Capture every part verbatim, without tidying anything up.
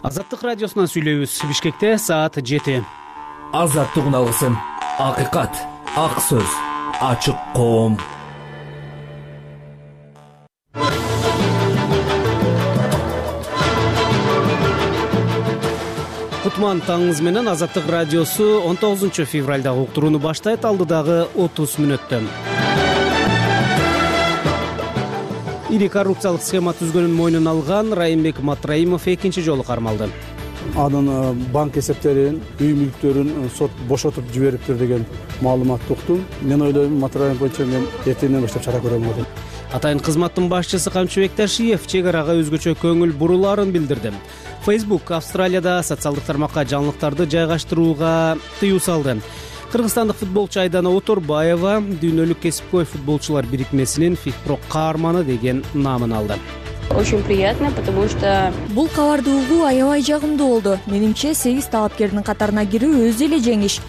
Азаттык радиосунан сүйлөйбүз. Бишкекте саат жети. Азаттык үналгысын. Акыйкат, ак сөз, ачык коом. Кутман таңыңыз менен Азаттык радиосу он тогузунчу февралдагы уктурууну баштайт. Алдыдагы отуз мүнөттө ири коррупциялык схема түзгөнүн мойнуна алган Райымбек Матраимов экинчи жолу кармалды. Анын банк эсептерин, үй мүлктөрүн сот бошотуп жибериптир деген маалыматты уктум. Мен ойлойм, Матраимов боюнча мен эртеңден баштап чара көрөм деп. Атайын кызматтын башчысы Камчыбек Ташиев чек арага өзгөчө көңүл бурулаарын билдирди. Facebook Австралияда социалдык тармакка жаңылыктарды жайгаштырууга тыюу салды. Кыргызстандык футболчу Айдана Оторбаева дүйнөлүк кесипкөй футболчулар бирикмесинин ФИФПро каарманы деген наамын алды. Очень приятно, потому что бул кабарды угуу аябай жагымдуу болду. Менимче сегиз талапкердин катарына кирүү өзү эле жеңиш.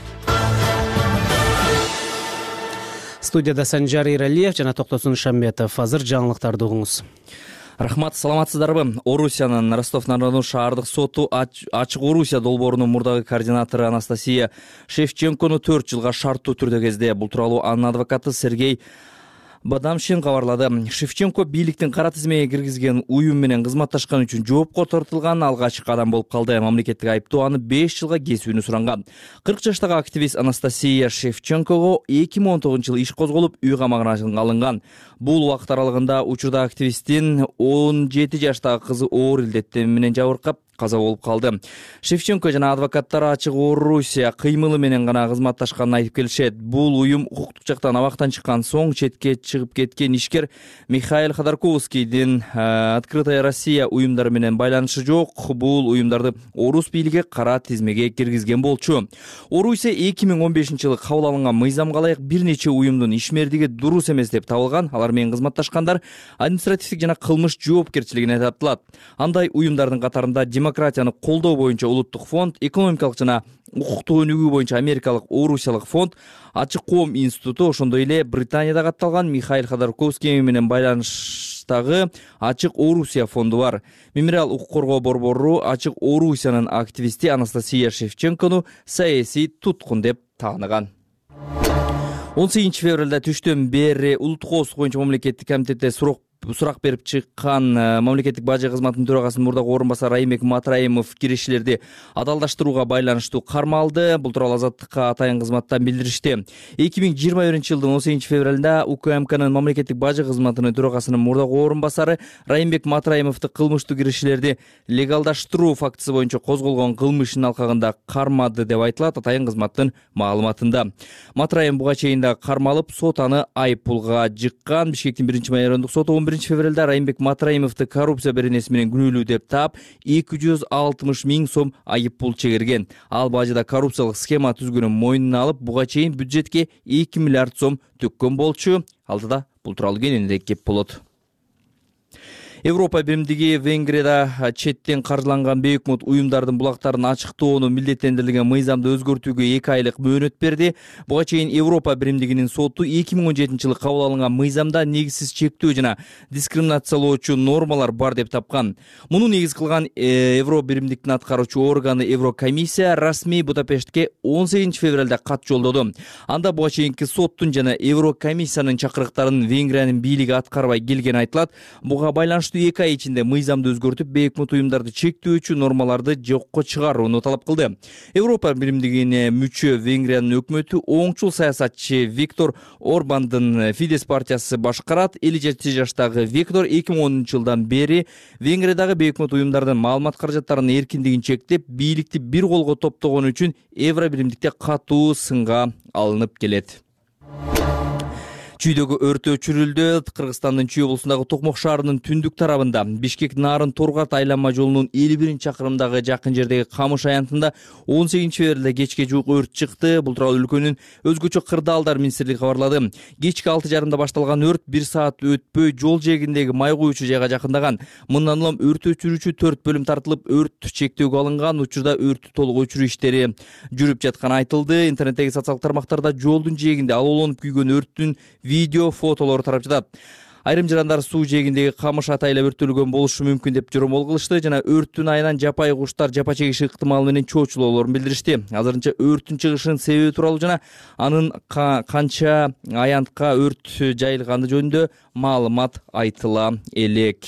Студияда Санжар Иралиев жана Токтосун Шамбетов. Азыр жаңылыктарды угуңуз. Рахмат, саламатсыздарбы? Орусиянын Ростов-на-Дону шаардык соту Ачык Орусия долбоорунун мурдагы координатору Анастасия Шевченкону төрт жылга шарттуу түрдө кезде. Бул тууралуу анын адвокаты Сергей Бадамшин кабарлады. Шевченко бийликтин кара тизмеге киргизген уюм менен кызматташкан үчүн жоопко тартылган алгачкы адам болуп калды. Мамлекеттик айыптоо аны беш жылга кесүүнү суранган. кырк жаштагы активист Анастасия Шевченкого эки миң он тогузунчу жылы иш козголуп, үй камагына алынган. Бул убакыт аралыгында учурда активисттин он жети жаштагы кызы оор илдеттер менен жабыркап каза болуп калды. Шевченко жана адвокаттары Ачык Орусия кыймылы менен гана кызматташканын айтып келишет. Бул уюм укуктук жактан абактан чыккан соң четке чыгып кеткен ишкер Михаил Ходорковскийдин Открытая Россия уюмдары менен байланышы жок. Бул уюмдарды орус бийлиги кара тизмеге киргизген болчу. Орусия эки миң он бешинчи жылы кабыл алынган мыйзамга ылайык бир нече уюмдун ишмердиги дурус эмес деп табылган. Алар менен кызматташкандар административдик жана кылмыш жоопкерчилигине тартылат. Андай уюмдардын катарында демократияны колдоо боюнча улуттук фонд, экономикалык жана укуктук өнүгүү боюнча америкалык Орусиялык фонд, Ачык коом институту, ошондой эле Британияда катталган Михаил Ходорковский менен байланыштагы Ачык Орусия фонду бар. Мемориал укук коргоо борбору Ачык Орусиянын активисти Анастасия Шевченкону саясий туткун деп тааныган. он сегизинчи февралда түштөн бери улуттук коопсуздук боюнча мамлекеттик комитетте сурак сурак берип чыккан мамлекеттик бажы кызматынын төрагасынын мурдагы орун басары Райымбек Матраимов кирешилерди адалдаштырууга байланыштуу кармалды. Бул тууралуу Азаттыкка атайын кызматтан билдиришти. эки миң жыйырма биринчи жылдын он сегизинчи февралда УКМКнын мамлекеттик бажы кызматынын төрагасынын мурдагы орун басары Райымбек Матраимовду кылмыштуу кирешилерди легалдаштыруу фактысы боюнча козголгон кылмыштын алкагында кармады деп айтылат атайын кызматтын маалыматында. Матраим буга чейин да кармалып, сот аны айып пулга жыккан. Бишкектин биринчи майорондук соту он биринчи февралда Райымбек Матраимовду коррупция беренеси менен күнөөлүү деп таап, эки жүз алтымыш миң сом айып пул чегерген. Ал бажыда коррупциялык схема түзгөнүн мойнуна алып, буга чейин бюджетке эки миллиард сом төккөн болчу. Алдыда бул тууралуу кененирээк кеп болот. Европа биримдиги Венгрияда четтен каржыланган бейөкмөт уюмдардын булактарын ачыктоону милдеттендирилген мыйзамды өзгөртүүгө эки айлык мөөнөт берди. Буга чейин Европа биримдигинин соту эки миң он жетинчи жылы кабыл алынган мыйзамда негизсиз чектөө жана дискриминациялоочу нормалар бар деп тапкан. Муну негиз кылган Евро биримдиктин аткаруучу органы Еврокомиссия расмий Будапештке он сегизинчи февралда кат жолдоду. Анда буга чейинки соттун жана Еврокомиссиянын чакырыктарын Венгриянын бийлиги аткарбай келгени айтылат. Буга байланыштуу эки ай ичинде мыйзамды өзгөртүп, бейөкмөт уюмдарды чектөөчү нормаларды жокко чыгарууну талап кылды. Европа биримдигине мүчө Венгриянын өкмөтү оңчул саясатчы Виктор Орбандын Фидес партиясы башкарат. элүү жети жаштагы Виктор эки миң онунчу жылдан бери Венгриядагы бейөкмөт уюмдардын маалымат каражаттарынын эркиндигин чектеп, бийликти бир колго топтогон үчүн Евро биримдикте катуу сынга алынып келет. Чүйдөгү өрт өчүрүлдү. Кыргызстандын Чүй облусундагы Токмок шаарынын түндүк тарабында Бишкек Нарын Торгат айланма жолунун элүү биринчи чакырымдагы жакын жердеги Камыш аянтында он сегизинчи февралда кечке жуук өрт чыкты. Бул тууралуу өлкөнүн өзгөчө кырдаалдар министрлиги кабарлады. Кечки алты жарымда башталган өрт бир саат өтпөй жол жээгиндеги май куючу жайга жакындаган. Мындан улам өрт өчүрүүчү төрт бөлүм тартылып, өрт чектөөгө алынган. Учурда өрттү толук өчүрүү иштери жүрүп жатканы айтылды. Интернеттеги социалдык тармактарда жолдун жээгинде алоолонуп күйгөн өрттүн видео, фотолор тарап жатат. Айрым жарандар суу жээгиндеги камыш атайла өрттөлгөн болушу мүмкүн деп жоромол кылышты жана өрттүн айынан жапайы куштар жапа чегиши ыктымалы менен чоочулоолорун билдиришти. Азырынча өрттүн чыгышынын себеби тууралуу жана анын канча аянтка өрт жайылганы жөнүндө маалымат айтыла элек.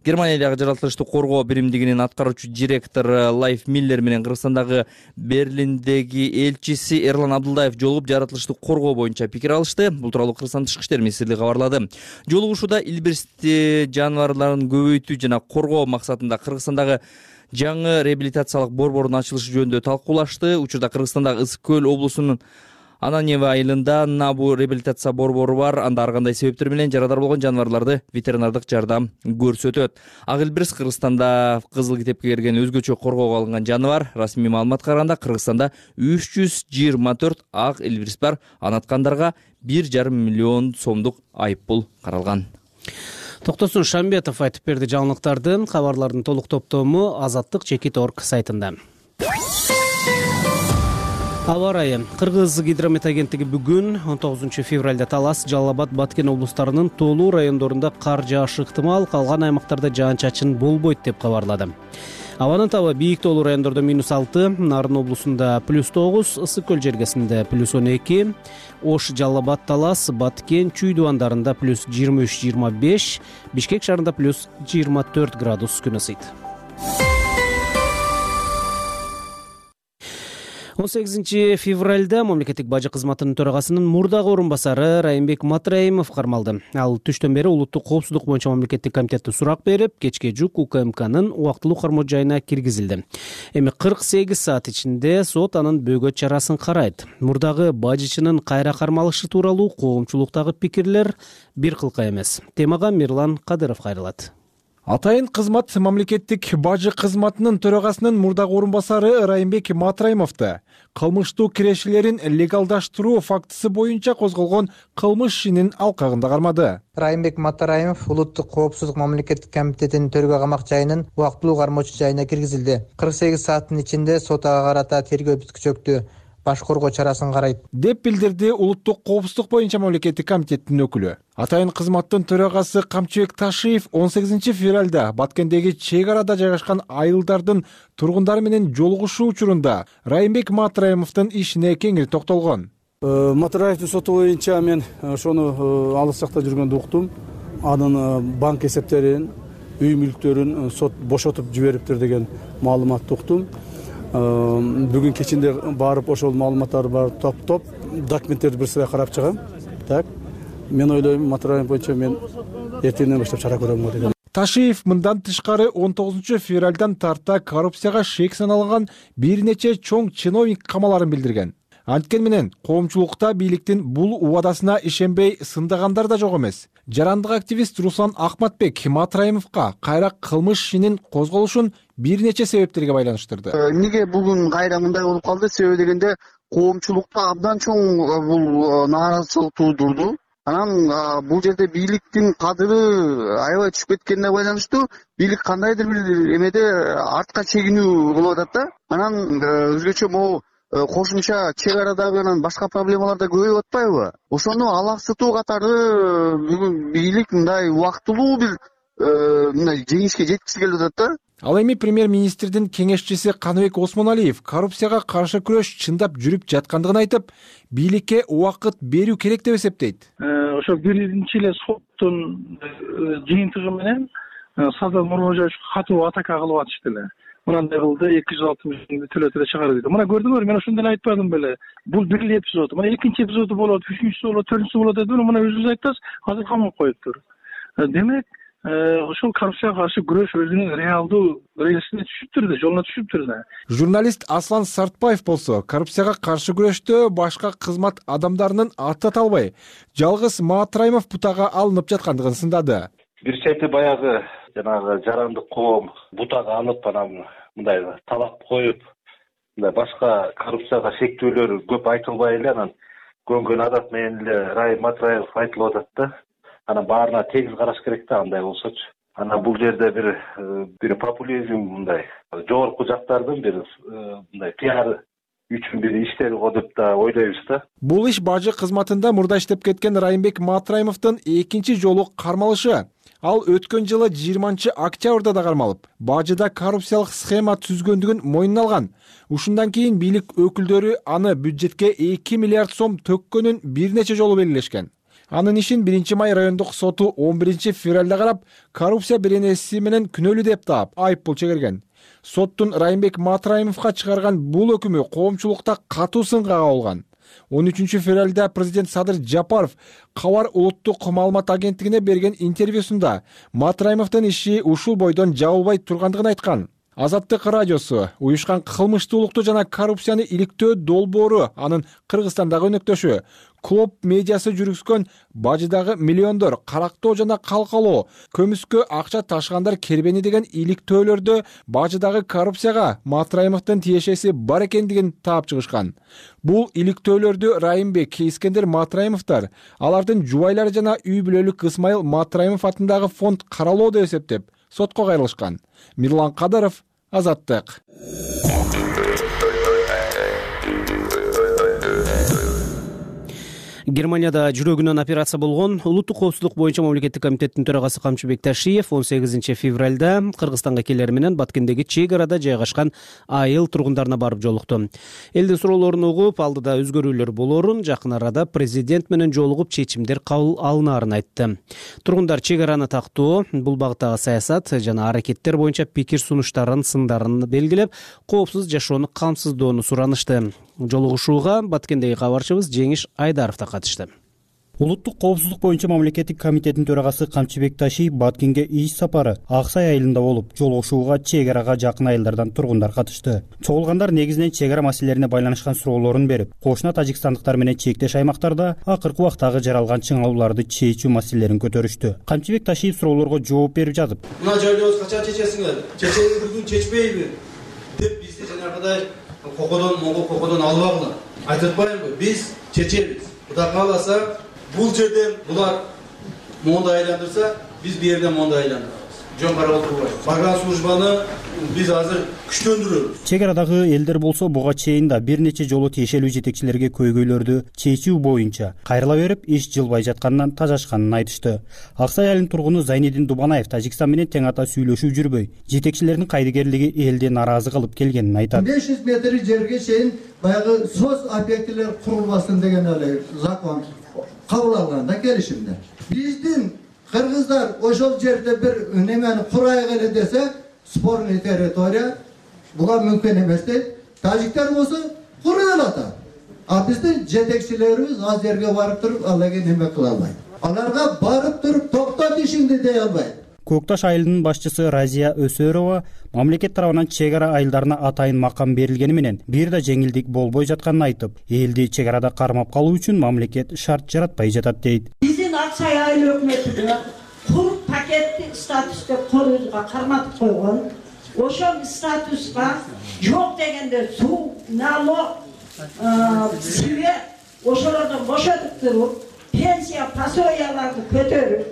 Германиядагы жаратылышты коргоо биримдигинин аткаруучу директору Лайф Миллер менен Кыргызстандагы Берлиндеги элчиси Эрлан Абдылдаев жолугуп жаратылышты коргоо боюнча пикир алышты. Бул тууралуу Кыргызстан Тышкы иштер министрлиги кабарлады. Жолугушууда илбирсти жаныбарларын көбөйтүү жана коргоо максатында Кыргызстандагы жаңы реабилитациялык борбордун ачылышы жөнүндө талкуулашты. Учурда Кыргызстандагы Ысык көл облусунун Ананьево айылында Набу реабилитация борбору бар. Анда ар кандай себептер менен жарадар болгон жаныбарларды ветеринардык жардам көрсөтөт. Ак илбирс Кыргызстанда кызыл китепке кирген өзгөчө коргоого алынган жаныбар. Расмий маалыматка караганда Кыргызстанда үч жүз жыйырма төрт ак илбирс бар. Анаткандарга бир жарым миллион сомдук айыппул каралган. Токтосун Шамбетов айтып берди. Жаңылыктардын кабарлардын толук топтому Азаттык Чекит точка орг сайтында. Аба ырайы. Кыргыз гидромет агенттиги бүгүн он тогузунчу февралда Талас, Жалал Абад, Баткен облустарынын тоолуу райондорунда кар жаашы ыктымал, калган аймактарда жаан-чачын болбойт деп кабарлады. Абанын табы бийик тоолуу райондордо минус алты, Нарын облусунда плюс тогуз, Ысык көл жергесинде плюс он эки, Ош, Жалал Абад, Талас, Баткен, Чүй дубандарында плюс жыйырма үч жыйырма беш, Бишкек шаарында плюс жыйырма төрт градус күн ысыйт. он сегизинчи февралда мамлекеттик бажы кызматынын төрагасынын мурдагы орун басары Райымбек Матраимов кармалды. Ал түштөн бери улуттук коопсуздук боюнча мамлекеттик комитетте сурак берип, кечке жук УКМКнын убактылуу кармоо жайына киргизилди. Эми кырк сегиз саат ичинде сот анын бөгөт чарасын карайт. Мурдагы бажычынын кайра кармалышы тууралуу коомчулуктагы пикирлер бир кылка эмес. Темага Мирлан Кадыров кайрылат. Атайын кызмат мамлекеттик бажы кызматынын төрагасынын мурдагы орун басары Райымбек Матраимовду кылмыштуу кирешелерин легалдаштыруу фактысы боюнча козголгон кылмыш ишинин алкагында кармады. Райымбек Матраимов улуттук коопсуздук мамлекеттик комитетинин төргө камак жайынын убактылуу кармоочу жайына киргизилди. кырк сегиз сааттын ичинде сот ага карата тергөө бүткүчөктү баш коргоо чарасын карайт деп билдирди улуттук коопсуздук боюнча мамлекеттик комитеттин өкүлү. Атайын кызматтын төрагасы Камчыбек Ташиев он сегизинчи февралда Баткендеги чек арада жайгашкан айылдардын тургундары менен жолугушуу учурунда Райымбек Матраимовдун ишине кеңири токтолгон. Матраевдин соту боюнча мен ошону алыс жакта жүргөндө уктум. Анын банк эсептерин, үй мүлктөрүн сот бошотуп жибериптир деген маалыматты уктум. Бүгүн кечинде барып ошол маалыматтарды барып топтоп документтерди бир сырай карап чыгам. Так. Мен ойлойм Матраимов боюнча мен эртеңден баштап чара көрөм го деген. Ташиев мындан тышкары он тогузунчу февралдан тарта коррупцияга шек саналган бир нече чоң чиновник камаларын билдирген. Анткени менен коомчулукта бийликтин бул убадасына ишенбей сындагандар да жок эмес. Жарандык активист Руслан Ахматбек Матраимовго кайра кылмыш ишинин козголушун бир нече себептерге байланыштырды. Эмнеге бүгүн кайра мындай болуп калды? Себеби дегенде коомчулукта абдан чоң бул нааразычылык туудурду. Анан бул жерде бийликтин кадыры аябай түшүп кеткенине байланыштуу бийлик кандайдыр бир эмеде артка чегинүү болуп атат да. Анан өзгөчө могу кошумча чек арадагы анан башка проблемалар да көбөйүп атпайбы? Ошону алаксытуу катары бүгүн бийлик мындай убактылуу бир мындай жеңишке жеткиси келип атат да. Ал эми премьер-министрдин кеңешчиси Каныбек Осмоналиев коррупцияга каршы күрөш чындап жүрүп жаткандыгын айтып, бийликке убакыт берүү керек деп эсептейт. Ошо биринчи эле соттун жыйынтыгы менен Садыр Нурможаевичке катуу атака кылып атышты эле. Мынандай кылды, эки жүз алтымыш миңди төлөтө чыгарды дейт. Мына көрдүңөр, мен ошондо эле айтпадым беле. Бул бир эле эпизод. Мына экинчи эпизоду болот, үчүнчүсү болот, төртүнчүсү болот деп, мына өзүңүз айттыңыз, азыр камап коюптур. Демек, ошол коррупцияга каршы күрөш өзүнүн реалдуу рельсине түшүптүр да, жолуна түшүптүр да. Журналист Аслан Сартбаев болсо, коррупцияга каршы күрөштө башка кызмат адамдарынын аты аталбай, жалгыз Матраимов бутага алынып жаткандыгын сындады. Бир чети баягы жанагы жарандык коом бутага алып, анан мындай талап коюп, мындай башка коррупцияга шектөөлөр көп айтылбай эле, анан көнгөн адат менен эле Райым Матраимов айтылып атат да. Анан баарына тегиз караш керек да, андай болсочу. Анан бул жерде бир бир популизм, мындай жогорку жактардын бир мындай пиар үчүн бир иштери го деп да ойлойбуз да. Бул иш бажы кызматында мурда иштеп кеткен Райымбек Матраимовдун экинчи жолу кармалышы. Ал өткөн жылы жыйырманчы октябрда да кармалып, бажыда коррупциялык схема түзгөндүгүн мойнуна алган. Ушундан кийин бийлик өкүлдөрү аны бюджетке эки миллиард сом төккөнүн бир нече жолу белгилешкен. Анын ишин биринчи май райондук соту он биринчи февралда карап, коррупция беренеси менен күнөөлүү деп таап, айыппул чегерген. Соттун Райымбек Матраимовго чыгарган бул өкүмү коомчулукта катуу сынга кабылган. он үчүнчү февралда президент Садыр Жапаров Кабар улуттук маалымат агенттигине берген интервьюсунда Матраимовдун иши ушул бойдон жабылбай тургандыгын айткан. Азаттык радиосу уюшкан кылмыштуулукту жана коррупцияны иликтөө долбоору анын Кыргызстандагы өнөктөшү Клоп медиасы жүргүзгөн бажыдагы миллиондор карактоо жана калкалоо, көмүскө акча ташыгандар кербени деген иликтөөлөрдө бажыдагы коррупцияга Матраимовдун тиешеси бар экендигин таап чыгышкан. Бул иликтөөлөрдү Райымбек, Искендер Матраимовдор, алардын жубайлары жана үй бүлөлүк Ысмайыл Матраимов атындагы фонд каралоо деп эсептеп, сотко кайрылышкан. Мирлан Кадаров, Азаттык. Германияда жүрөгүнөн операция болгон улуттук коопсуздук боюнча мамлекеттик комитеттин төрагасы Камчыбек Ташиев он сегизинчи февралда Кыргызстанга келери менен Баткендеги чек арада жайгашкан айыл тургундарына барып жолукту. Элдин суроолорун угуп, алдыда өзгөрүүлөр болоорун, жакын арада президент менен жолугуп чечимдер кабыл алынаарын айтты. Тургундар чек араны тактоо, бул багыттагы саясат жана аракеттер боюнча пикир сунуштарын, сындарын белгилеп, коопсуз жашоону камсыздоону суранышты. Жолугушууга Баткендеги кабарчыбыз Жеңиш Айдаров да катышты. Улуттук коопсуздук боюнча мамлекеттик комитеттин төрагасы Камчыбек Ташиев Баткенге иш сапары Аксай айылында болуп, жолугушууга чек арага жакын айылдардан тургундар катышты. Чогулгандар негизинен чек ара маселелерине байланышкан суроолорун берип, кошуна тажикстандыктар менен чектеш аймактарда акыркы убактагы жаралган чыңалууларды чечүү маселелерин көтөрүштү. Камчыбек Ташиев суроолорго жооп берип жатып, мына жайлообуз качан чечесиңер? Чечеңер бүгүн чечпейби? деп бизди жанагыдай кокодон, моңго кокодон албагыла. Айтып атпаймынбы? Биз чечебиз. Кудай кааласа, бул жерден булар монда айландырса, биз бу жерден монда айландырабыз. Жөн карап отурбайбыз. Барган службаны биз азыр күчтөндүрөбүз. Чек арадагы элдер болсо буга чейин да бир нече жолу тиешелүү жетекчилерге көйгөйлөрдү чечүү боюнча кайрыла берип, иш жылбай жатканынан тажашканын айтышты. Аксай айылынын тургуну Зайнедин Дубанаев Тажикстан менен тең ата сүйлөшүү жүрбөй, жетекчилердин кайдыгерлиги элди нааразы кылып келгенин айтат. беш жүз метр жерге чейин баягы соц объектилер курулбасын деген эле закон кабыл алганда келишимде. Биздин кыргыздар ошол жерде бир немени курайык эле десе, спорный территория буга мүмкүн эмес дейт. Тажиктер болсо курай алат. А биздин жетекчилерибиз ал жерге барып туруп, алаге неме кыла албайт. Аларга барып туруп токтот ишиңди дей албайт. Көкташ айылынын башчысы Разия Өсөрова мамлекет тарабынан чек ара айылдарына атайын макам берилгени менен бир да жеңилдик болбой жатканын айтып, элди чек арада кармап калуу үчүн мамлекет шарт жаратпай жатат дейт. Биздин Аксай айыл өкмөтү кур пакетти статус деп колубузга карматып койгон. Ошол статуска жок дегенде суу, налог, свет ошолордон бошотуп туруп, пенсия, пособияларды көтөрүп,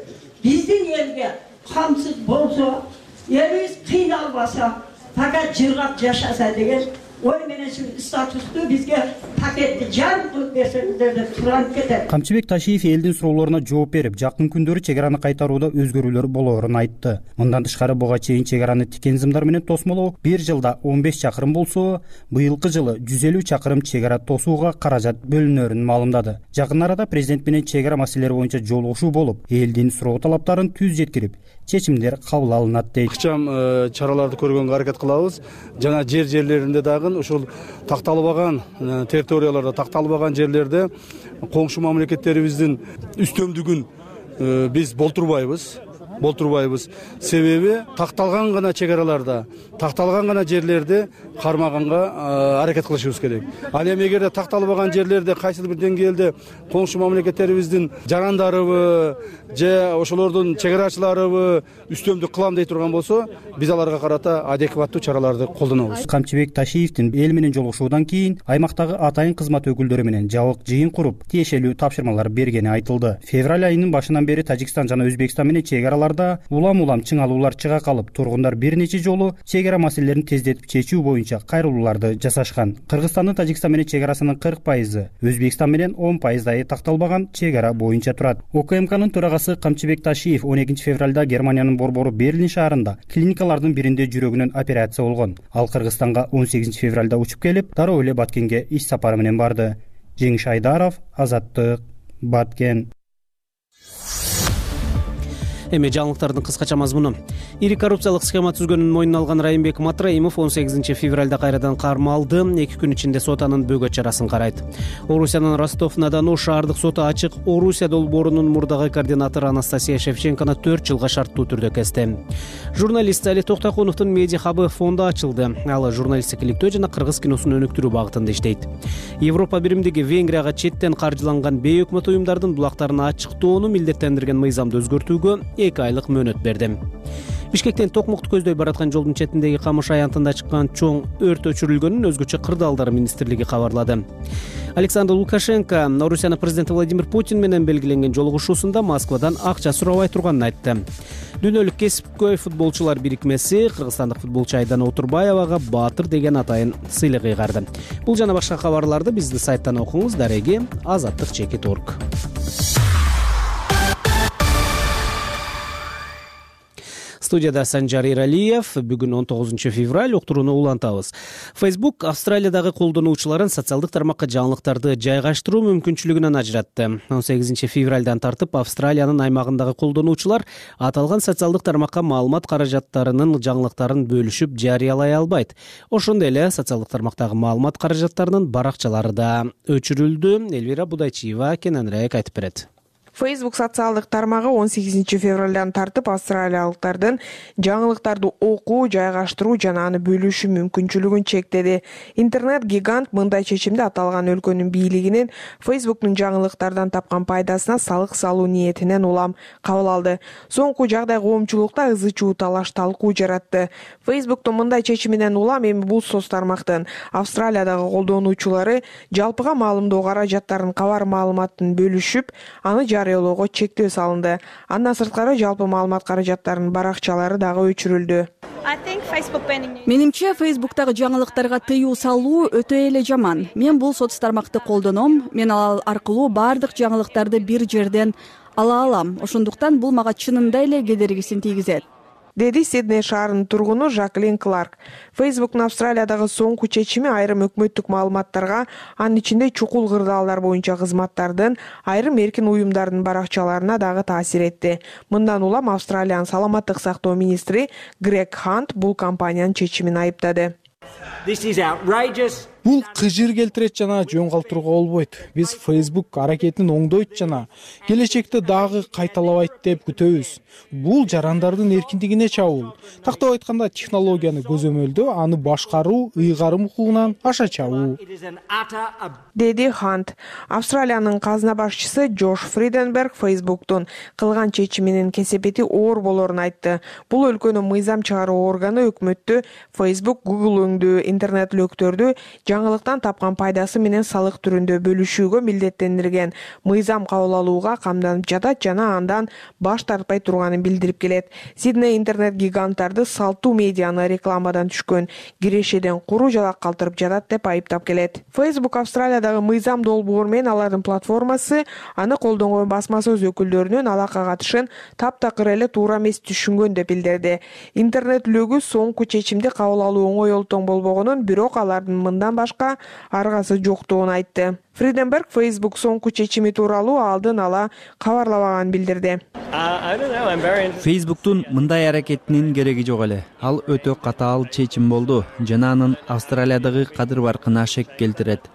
биздин элге камсыз болсо, элибиз кыйналбаса, факат жыргап жашаса деген ой менен статусту бизге пакетти жарым кылып берсеңиздер деп суранып кетет. Камчыбек Ташиев элдин суроолоруна жооп берип, жакын күндөрү чек араны кайтарууда өзгөрүүлөр болоорун айтты. Мындан тышкары буга чейин чек араны тикен зымдар менен тосмолоо бир жылда он беш чакырым болсо, быйылкы жылы жүз элүү чакырым чек ара тосууга каражат бөлүнөрүн маалымдады. Жакын арада президент менен чек ара маселелери боюнча жолугушуу болуп, элдин суроо талаптарын түз жеткирип, чечимдер кабыл алынат дейт. Ыкчам чараларды көргөнгө аракет кылабыз. Жана жер жерлеринде дагы ушул такталбаган территорияларда, такталбаган жерлерде коңшу мамлекеттерибиздин үстөмдүгүн биз болтурбайбыз. болтурбайбыз. Себеби такталган гана чек араларда, такталган гана жерлерде кармаганга аракет кылышыбыз керек. Ал эми эгерде такталбаган жерлерде кайсыл бир деңгээлде коңшу мамлекеттерибиздин жарандарыбы же ошолордун чек арачыларыбы үстөмдүк кылам дей турган болсо, биз аларга карата адекваттуу чараларды колдонобуз. Камчыбек Ташиевдин эл менен жолугушуудан кийин аймактагы атайын кызмат өкүлдөрү менен жабык жыйын куруп, тиешелүү тапшырмалар бергени айтылды. Февраль айынын башынан бери Тажикстан жана Өзбекстан менен чек аралар учурларда улам улам чыңалуулар чыга калып, тургундар бир нече жолу чек ара маселелерин тездетип чечүү боюнча кайрылууларды жасашкан. Кыргызстандын Тажикстан менен чек арасынын кырк пайызы, Өзбекстан менен он пайыздай такталбаган чек ара боюнча турат. ОКМКнын төрагасы Камчыбек Ташиев он экинчи февралда Германиянын борбору Берлин шаарында клиникалардын биринде жүрөгүнөн операция болгон. Ал Кыргызстанга он сегизинчи февралда учуп келип, дароо эле Баткенге иш сапары менен барды. Жеңиш Айдаров, Азаттык, Баткен. Эми жаңылыктардын кыскача мазмуну. Ири коррупциялык схема түзгөнүн мойнуна алган Райымбек Матраимов он сегизинчи февралда кайрадан кармалды. эки күн ичинде сот анын бөгөт чарасын карайт. Орусиянын Ростов-на-Дону шаардык соту ачык Орусия долбоорунун мурдагы координатору Анастасия Шевченкону төрт жылга шарттуу түрдө кести. Журналист Али Токтокуновдун медиа хабы фонду ачылды. Ал журналистикиликтөө жана кыргыз киносун өнүктүрүү багытында иштейт. Европа биримдиги Венгрияга четтен каржыланган бейөкмөт уюмдардын булактарын ачыктоону милдеттендирген мыйзамды өзгөртүүгө эки айлык мөөнөт берди. Бишкектен токмокту көздөй бараткан жолдун четиндеги камыш аянтында чыккан чоң өрт өчүрүлгөнүн өзгөчө кырдаалдар министрлиги кабарлады. Александр Лукашенко Орусиянын президенти Владимир Путин менен белгиленген жолугушуусунда Москвадан акча сурабай турганын айтты. Дүйнөлүк кесипкөй футболчулар бирикмеси кыргызстандык футболчу Айдана Отурбаевага Баатыр деген атайын сыйлык ыйгарды. Бул жана башка кабарларды биздин сайттан окуңуз. Дареги азаттык чекит точка орг. Студияда Санжар Иралиев. Бүгүн он тогузунчу февраль, уктурууну улантабыз. Facebook Австралиядагы колдонуучуларын социалдык тармакка жаңылыктарды жайгаштыруу мүмкүнчүлүгүнөн ажыратты. он сегизинчи февралдан тартып Австралиянын аймагындагы колдонуучулар аталган социалдык тармакка маалымат каражаттарынын жаңылыктарын бөлүшүп жарыялай албайт. Ошондой эле социалдык тармактагы маалымат каражаттарынын баракчалары да өчүрүлдү. Элвира Будайчиева кененирээк айтып берет. Facebook социалдык тармагы он сегизинчи февралдан тартып австралиялыктардын жаңылыктарды окуу, жайгаштыруу жана аны бөлүшүү мүмкүнчүлүгүн чектеди. Интернет-гигант мындай чечимди аталган өлкөнүн бийлигинин Facebook'тун жаңылыктардан тапкан пайдасына салык салуу ниетинен улам кабыл алды. Соңку жагдай коомчулукта ызы чуу талаш талкуу жаратты. Facebook'тун мындай чечиминен улам эми бул соц тармактын Австралиядагы колдонуучулары жалпыга маалымдоо каражаттарын кабар маалыматын бөлүшүп, аны жарыялоого чектөө салынды. Андан сырткары жалпы маалымат каражаттарынын баракчалары дагы өчүрүлдү. Менимче, Facebook'тагы жаңылыктарга тыюу салуу өтө эле жаман. Мен бул соц тармакты колдоном. Мен ал аркылуу бардык жаңылыктарды бир жерден ала алам. Ошондуктан бул мага чынында эле кедергисин тийгизет, деди Сидней шаарынын тургуну Жаклин Кларк. Facebook'тун Австралиядагы соңку чечими айрым өкмөттүк маалыматтарга, анын ичинде чукул кырдаалдар боюнча кызматтардын, айрым эркин уюмдардын баракчаларына дагы таасир этти. Мындан улам Австралиянын саламаттык сактоо министри Грег Хант бул компаниянын чечимин айыптады. Бул кыжыр келтирет жана жөн калтырууга болбойт. Биз Facebook аракетин оңдойт жана келечекте дагы кайталабайт деп күтөбүз. Бул жарандардын эркиндигине чабуул. Тактап айтканда, технологияны көзөмөлдөө, аны башкаруу, ыйгарым укугунан аша чабуу, деди Хант. Австралиянын казына башчысы Джош Фриденберг Facebook'тун кылган чечиминин кесепети оор болорун айтты. Бул өлкөнүн мыйзам чыгаруу органы өкмөттү Facebook, Google өңдүү интернет лөктөрдү жаңылыктан тапкан пайдасы менен салык түрүндө бөлүшүүгө милдеттендирген мыйзам кабыл алууга камданып жатат жана андан баш тартпай турганын билдирип келет. Сидней интернет гиганттарды салтуу медианы рекламадан түшкөн кирешеден куру жалак калтырып жатат деп айыптап келет. Facebook Австралиядагы мыйзам долбоор менен алардын платформасы аны колдонгон басма сөз өкүлдөрүнүн алакка катышын таптакыр эле туура эмес түшүнгөн деп билдирди. Интернет лөгү соңку чечимди кабыл алуу оңой олтоң болбогонун, бирок алардын мындан башка аргасы жоктугун айтты. Фриденберг Facebook соңку чечими тууралуу алдын ала кабарламаганын билдирди. Facebook'тун мындай аракетинин кереги жок эле. Ал өтө катаал чечим болду жана анын Австралиядагы кадыр баркына шек келтирет,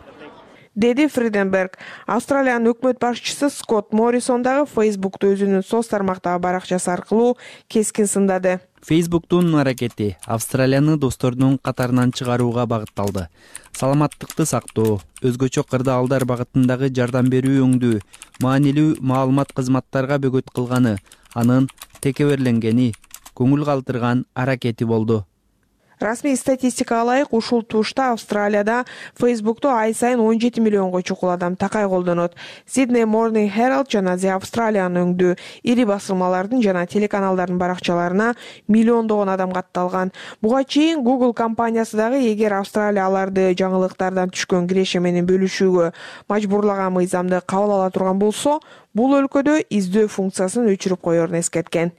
деди Фриденберг. Австралиянын өкмөт башчысы Скотт Моррисон дагы Facebook'ту өзүнүн соц тармактагы баракчасы аркылуу кескин сындады. Facebook'тун аракети Австралияны достордун катарынан чыгарууга багытталды. Саламаттыкты сактоо, өзгөчө кырдаалдар багытындагы жардам берүү өңдүү, маанилүү маалымат кызматтарга бөгөт кылганы, анын текеберленгени, көңүл калтырган аракети болду. Расмий статистикага ылайык ушул тушта Австралияда Facebook'ту ай сайын он жети миллионго чукул адам такай колдонот. Sydney Morning Herald жана The Australian өңдүү ири басылмалардын жана телеканалдардын баракчаларына миллиондогон адам катталган. Буга чейин Google компаниясы дагы эгер Австралия аларды жаңылыктардан түшкөн киреше менен бөлүшүүгө мажбурлаган мыйзамды кабыл ала турган болсо, бул өлкөдө издөө функциясын өчүрүп коерун эскерткен.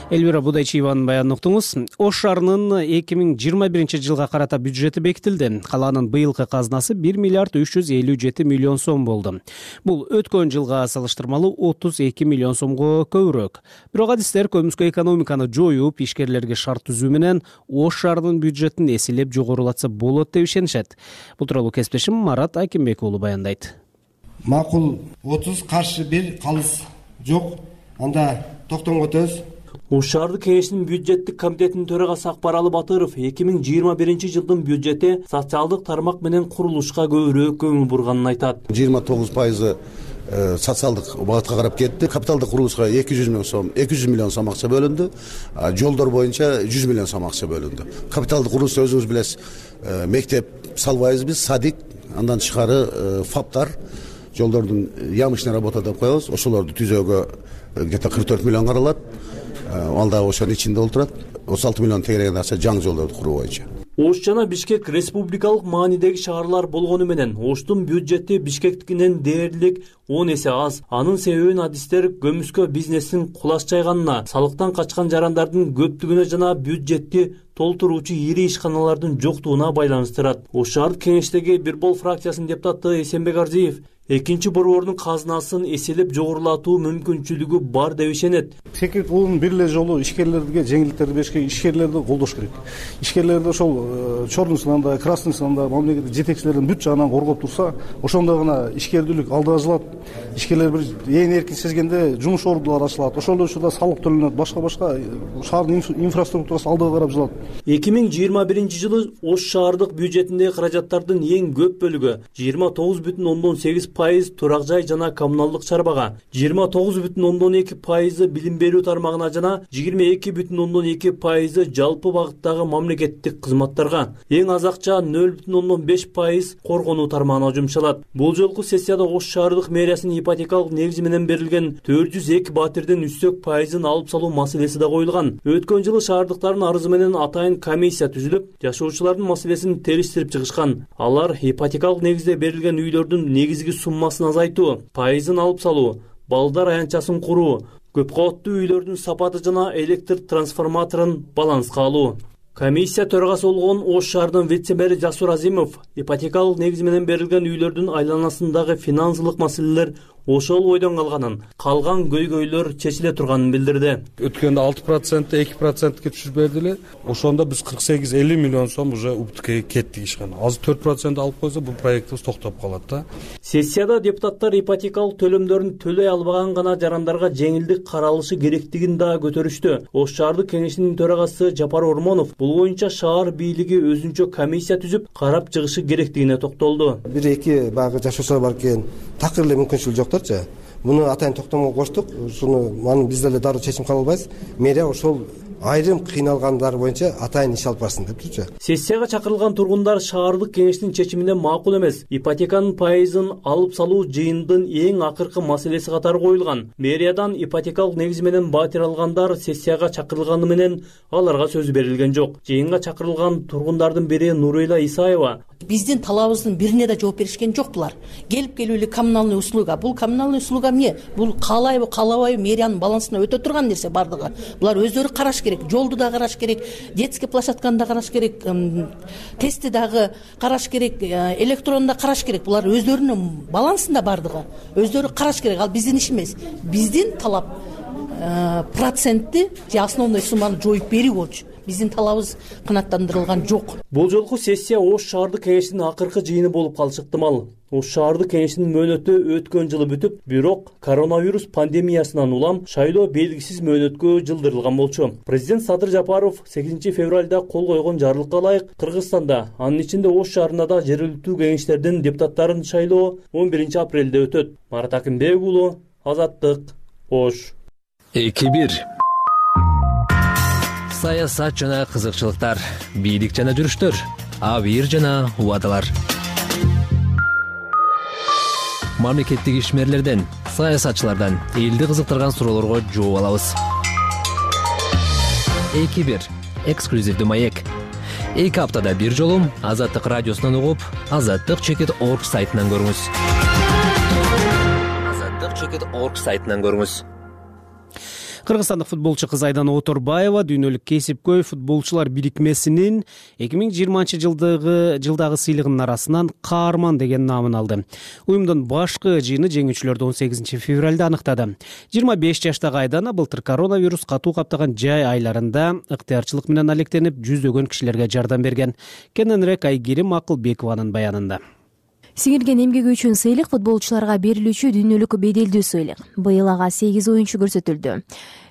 Эльвира Будайчиеванын баянын уктуңуз. Ош шаарынын эки миң жыйырма биринчи жылга карата бюджети бекитилди. Калаанын быйылкы казнасы бир миллиард үч жүз элүү жети миллион сом болду. Бул өткөн жылга салыштырмалуу отуз эки миллион сомго көбүрөөк. Бирок адистер көмүскө экономиканы жоюп, ишкерлерге шарт түзүү менен Ош шаарынын бюджетин эселеп жогорулатса болот деп ишенишет. Бул тууралуу кесиптешим Марат Акимбек уулу баяндайт. Макул отуз, каршы бир, калыс жок. Анда токтомго өтөбүз. Ош шаардык кеңешинин бюджеттик комитетинин төрагасы Акбаралы Батыров эки миң жыйырма биринчи жылдын бюджети социалдык тармак менен курулушка көбүрөөк көңүл бурганын айтат. жыйырма тогуз пайызы социалдык багытка карап кетти. Капиталдык курулушка эки жүз миң сом, эки жүз миллион сом акча бөлүндү. Жолдор боюнча жүз миллион сом акча бөлүндү. Капиталдык курулушта өзүңүз билесиз, мектеп салбайбыз биз, садик, андан тышкары фаптар, жолдордун ямочный работа деп коебуз. Ошолорду түзөөгө где-то кырк төрт миллион каралат. Ал да ошонун ичинде отурат. отуз алты миллион тегереген акча жаңы жолдорду куруу боюнча. Ош жана Бишкек республикалык маанидеги шаарлар болгону менен Оштун бюджети Бишкектикинен дээрлик он эсе аз. Анын себебин адистер көмүскө бизнестин кулаш жайганына, салыктан качкан жарандардын көптүгүнө жана бюджетти толтуруучу ири ишканалардын жоктугуна байланыштырат. Ош шаардык кеңештеги Бир бол фракциясынын депутаты Эсенбек Арзиев экинчи борбордун казынасын эселеп жогорулатуу мүмкүнчүлүгү бар деп ишенет. Секирет бул бир эле жолу ишкерлерге жеңилдиктерди бериш керек, ишкерлерди колдош керек. Ишкерлерди ошол чорный сынанда, красный сынанда мамлекеттик жетекчилердин бүт жагынан коргоп турса, ошондо гана ишкердүүлүк алдыга жылат. Ишкерлер бир ээн эркин сезгенде жумуш ордулары ачылат. Ошол учурда салык төлөнөт, башка-башка шаардын инфраструктурасы алдыга карап жылат. эки миң жыйырма биринчи жылы Ош шаардык бюджетиндеги каражаттардын эң көп бөлүгү жыйырма тогуз бүтүн ондон сегиз пайыз турак жай жана коммуналдык чарбага, жыйырма тогуз бүтүн ондон эки пайызы билим берүү тармагына жана жыйырма эки бүтүн ондон эки пайызы жалпы багыттагы мамлекеттик кызматтарга, эң аз акча нөл бүтүн ондон беш пайыз коргонуу тармагына жумшалат. Бул жолку сессияда Ош шаардык мэриясынын ипотекалык негизи менен берилген төрт жүз эки батирдин үстөк пайызын алып салуу маселеси да коюлган. Өткөн жылы шаардыктардын арызы менен атайын комиссия түзүлүп, жашоочулардын маселесин териштирип чыгышкан. Алар ипотекалык негизде берилген үйлөрдүн негизги суммасын азайтуу, пайызын алып салуу, балдар аянтчасын куруу, көп кабаттуу үйлөрдүн сапаты жана электр трансформаторун баланска алуу. Комиссия төрагасы болгон Ош шаарынын вице-мэри Жасур Азимов ипотекалык негиз менен берилген үйлөрдүн айланасындагы финансылык маселелер ошол бойдон калганын, калган көйгөйлөр чечиле турганын билдирди. Өткөндө алты процент, эки процентке түшүрүп берди эле. Ошондо биз кырк сегиз элүү миллион сом уже убытка кеттик ишкана. Азыр төрт процент алып койсо бул проектибиз токтоп калат да. Сессияда депутаттар ипотекалык төлөмдөрүн төлөй албаган гана жарандарга жеңилдик каралышы керектигин да көтөрүштү. Ош шаардык кеңешинин төрагасы Жапар Ормонов бул боюнча шаар бийлиги өзүнчө комиссия түзүп карап чыгышы керектигине токтолду. бир эки баягы жашоочулар бар экен, такыр эле мүмкүнчүлүк жоктурчу. Муну атайын токтомго коштук. Ушуну маны биз деле дароо чечим кабыл албайбыз. Мэрия ошол айрым кыйналгандар боюнча атайын иш алып барсын деп турчу. Сессияга чакырылган тургундар шаардык кеңештин чечимине макул эмес. Ипотеканын пайызын алып салуу жыйындын эң акыркы маселеси катары коюлган. Мэриядан ипотекалык негиз менен батир алгандар сессияга чакырылганы менен аларга сөз берилген жок. Жыйынга чакырылган тургундардын бири Нурейла Исаева биздин талабыбыздын бирине да жооп беришкен жок булар. Келип келүүлү коммуналдык услуга. Бул коммуналдык услуга эмне? Бул каалайбы, каалабайбы мэриянын балансына өтө турган нерсе бардыгы. Булар өздөрү караш керек, жолду да караш керек, детский площадканы да караш керек, тестти дагы караш керек, электронду да караш керек. Булар өздөрүнүн балансында бардыгы. Өздөрү караш керек. Ал биздин иш эмес. Биздин талап процентти же основной сумманы жоюп берүү болчу. Биздин талабыбыз канааттандырылган жок. Бул жолку сессия Ош шаардык кеңешинин акыркы жыйыны болуп калышы ыктымал. Ош шаардык кеңешинин мөөнөтү өткөн жылы бүтүп, бирок коронавирус пандемиясынан улам шайлоо белгисиз мөөнөткө жылдырылган болчу. Президент Садыр Жапаров сегизинчи февралда кол койгон жарлыкка ылайык Кыргызстанда, анын ичинде Ош шаарында да жергиликтүү кеңештердин депутаттарын шайлоо он биринчи апрелде өтөт. Марат Акимбек уулу, Азаттык, Ош. эки бир Саясат жана кызыкчылыктар, бийлик жана жүрүштөр, абийир жана убадалар. Мамлекеттик ишмерлерден, саясатчылардан элди кызыктырган суроолорго жооп алабыз. эки бир эксклюзивдүү маек. Эки аптада бир жолу Азаттык радиосунан угуп, азаттык чекит орг сайтынан көрүңүз. азаттык чекит орг сайтынан көрүңүз. Кыргызстандык футболчу кыз Айдана Оторбаева дүйнөлүк кесипкөй футболчулар бирикмесинин эки миң жыйырманчы жылдагы жылдагы сыйлыгынын арасынан каарман деген наамын алды. Уюмдун башкы жыйыны жеңүүчүлөрдү он сегизинчи февралда аныктады. жыйырма беш жаштагы Айдана былтыр коронавирус катуу каптаган жай айларында ыктыярчылык менен алектенип жүздөгөн кишилерге жардам берген. Кененирээк Айгерим Акылбекованын баянында. Сиңирген эмгеги үчүн сыйлык футболчуларга берилүүчү дүйнөлүк беделдүү сыйлык. Быйыл ага сегиз оюнчу көрсөтүлдү.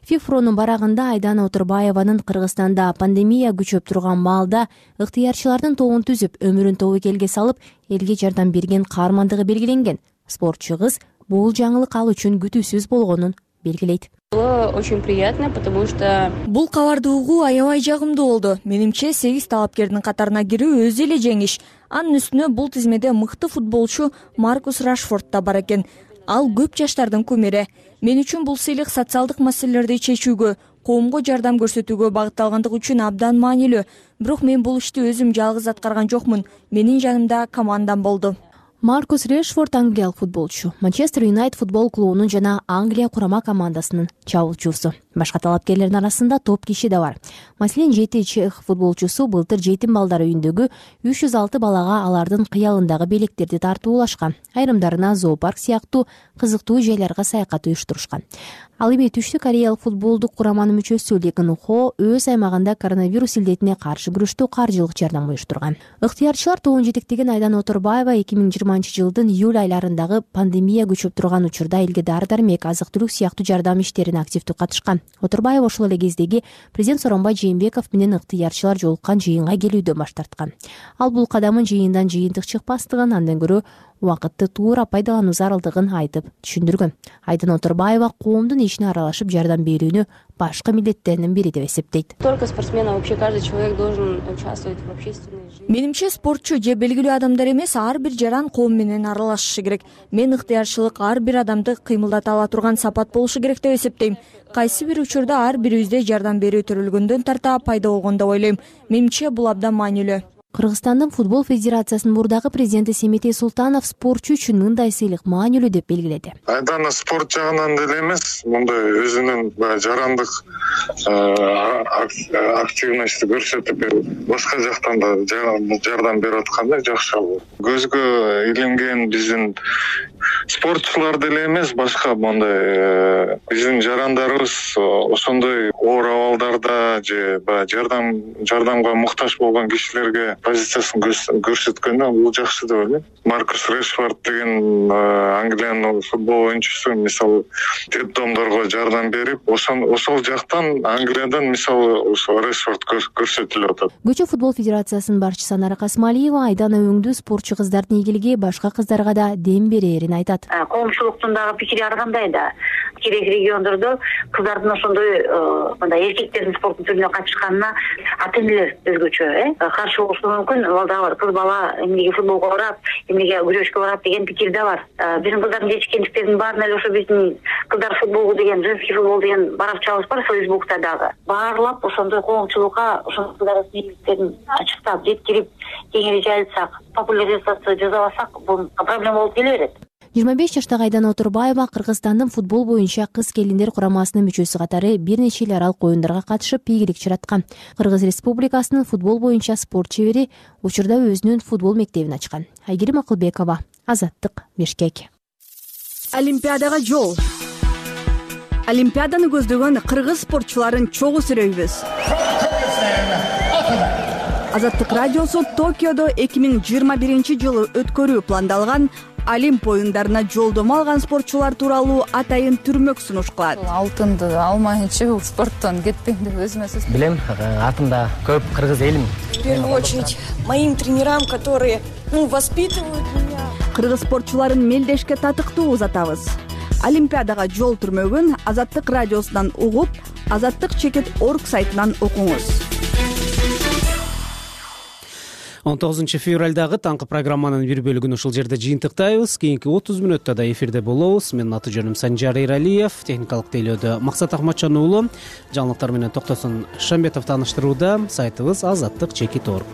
ФИФПронун барагында Айдана Оторбаеванын Кыргызстанда пандемия күчөп турган маалда ыктыярчылардын тобун түзүп, өмүрүн тобокелге салып, элге жардам берген каармандыгы белгиленген. Спортчу кыз бул жаңылык ал үчүн күтүүсүз болгонун белгилейт. Очень приятно, потому что бул кабарды угуу аябай жагымдуу болду. Менимче сегиз талапкердин катарына кирүү өзү эле жеңиш. Анын үстүнө бул тизмеде мыкты футболчу Маркус Рашфорд да бар экен. Ал көп жаштардын кумири. Мен үчүн бул сыйлык социалдык маселелерди чечүүгө, коомго жардам көрсөтүүгө багытталгандыгы үчүн абдан маанилүү. Бирок мен бул ишти өзүм жалгыз аткарган жокмун. Менин жанымда командам болду. Маркус Решфорд англиялык футболчу, Манчестер Юнайтед футбол клубунун жана Англия курама командасынын чабуулчусу. Башка талапкерлердин арасында топ киши да бар. Маселен, жети чех футболчусу былтыр жетим балдар үйүндөгү үч жүз алты балага алардын кыялындагы белектерди тартуулашкан. Айрымдарына зоопарк сыяктуу кызыктуу жайларга саякат уюштурушкан. Ал эми Түштүк Кореялык футболдук кураманын мүчөсү Ли Кын Хо өз аймагында коронавирус илдетине каршы күрөштө каржылык жардам уюштурган. Ыктыярчылар тобун жетектеген Айдана Оторбаева эки миң жыйырманчы жылдын июль айларындагы пандемия күчөп турган учурда элге дары-дармек, азык-түлүк сыяктуу жардам иштерине активдүү катышкан. Оторбаева ошол эле кездеги президент Сооронбай Жээнбеков менен ыктыярчылар жолуккан жыйынга келүүдөн баш тарткан. Ал бул кадамын жыйындан жыйынтык чыкпастыгын, андан көрө убакытты туура пайдалануу зарылдыгын айтып түшүндүргөн. Айдана Оторбаева коомдун ишине аралашып жардам берүүнү башкы милдеттеринин бири деп эсептейт. Только спортсмен, а вообще каждый человек должен участвовать в общественной жизни. Менимче спортчу же белгилүү адамдар эмес, ар бир жаран коом менен аралашышы керек. Мен ыктыярчылык ар бир адамды кыймылдата ала турган сапат болушу керек деп эсептейм. Кайсы бир учурда ар бирибизде жардам берүү төрөлгөндөн тарта пайда болгон деп ойлойм. Менимче бул абдан маанилүү. Кыргызстандын футбол федерациясынын мурдагы президенти Семетей Султанов спортчу үчүн мындай сыйлык маанилүү деп белгиледи. Айдана спорт жагынан деле эмес, мындай өзүнүн жарандык активности көрсөтүп, башка жактан да жардам берип атканда жакшы болот. Көзгө илинген биздин спортчулар деле эмес, башка мындай биздин жарандарыбыз ошондой оор абалдарда же жардам жардамга муктаж болгон кишилерге позициясын көрсөткөндө бул жакшы деп ойлойм. Маркус Решфорд деген Англиянын футбол оюнчусу мисалы детдомдорго жардам берип, ошол ошол жактан Англиядан мисалы ошо Решфорд көрсөтүлүп атат. Көчө футбол федерациясынын башчысы Анара Касмалиева Айдана өңдүү спортчу кыздардын ийгилиги башка кыздарга да дем берерин айтат. Коомчулуктун дагы пикири ар кандай да. Керек региондордо кыздардын ошондой мындай эркектердин спорттун түрүнө катышканына ата-энелер өзгөчө э каршы болушу мүмкүн. Ал да бар. Кыз бала эмнеге футболго барат, эмнеге күрөшкө барат деген пикир да бар. Биздин кыздардын жетишкендиктеринин баарын эле ошо биздин кыздар футболу деген, женский футбол деген баракчабыз бар Фейсбукта дагы. Баарлап ошондой коомчулукка ошол кыздардын ийгиликтерин ачыктап, жеткирип, кеңири жайылтсак, популяризация жасабасак, бул проблема болуп келе берет. жыйырма беш жаштагы Айдана Оторбаева Кыргызстандын футбол боюнча кыз келиндер курамасынын мүчөсү катары бир нече эл аралык оюндарга катышып ийгилик чыраткан. Кыргыз Республикасынын футбол боюнча спорт чебери учурда өзүнүн футбол мектебин ачкан. Айгерим Акылбекова, Азаттык, Бишкек. Олимпиадага жол. Олимпиаданы көздөгөн кыргыз спортчуларын чогуу сүрөйбүз. Азаттык радиосу Токиодо эки миң жыйырма биринчи жылы өткөрүү пландалган Олимп оюндарына жолдомо алган спортчулар тууралуу атайын түрмөк сунуш кылат. Алтынды алмайынча бул спорттон кетпейм деп өзүмө сөз. Билем, артымда көп кыргыз элим. В первую очередь моим тренерам, которые, ну, воспитывают меня. Кыргыз спортчуларын мелдешке татыктуу узатабыз. Олимпиадага жол түрмөгүн Азаттык радиосунан угуп, азаттык чекит орг сайтынан окуңуз. он тогузунчу февралдагы таңкы программанын бир бөлүгүн ушул жерде жыйынтыктайбыз. Кийинки отуз мүнөттө да эфирде болобуз. Менин аты жөнүм Санжар Эралиев, техникалык тейлөөдө Максат Акматжан уулу, жаңылыктар менен Токтосун Шамбетов тааныштырууда. Сайтыбыз азаттык чекит орг.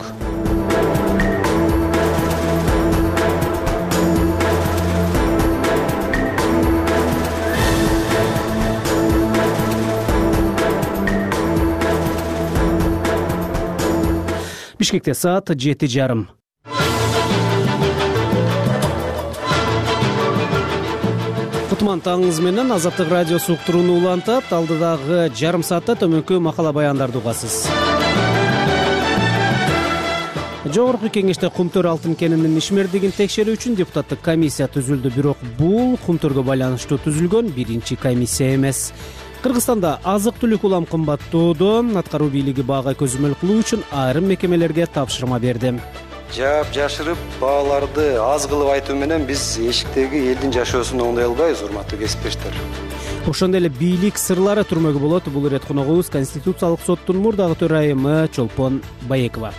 Бишкекте саат жети жарым. Кутман таңыңыз менен Азаттык радиосу уктурууну улантат. Алдыдагы жарым саатта төмөнкү макала баяндарды угасыз. Жогорку кеңеште Кумтөр алтын кенинин ишмердигин текшерүү үчүн депутаттык комиссия түзүлдү, бирок бул Кумтөргө байланыштуу түзүлгөн биринчи комиссия эмес. Кыргызстанда азык-түлүк улам кымбаттоодо. Аткаруу бийлиги баага көзөмөл кылуу үчүн айрым мекемелерге тапшырма берди. Жаап жашырып бааларды аз кылып айтуу менен биз эшиктеги элдин жашоосун оңдой албайбыз, урматтуу кесиптештер. Ошондой эле бийлик сырлары түрмөгө болот. Бул ирет коногубуз Конституциялык соттун мурдагы төрайымы Чолпон Баекова.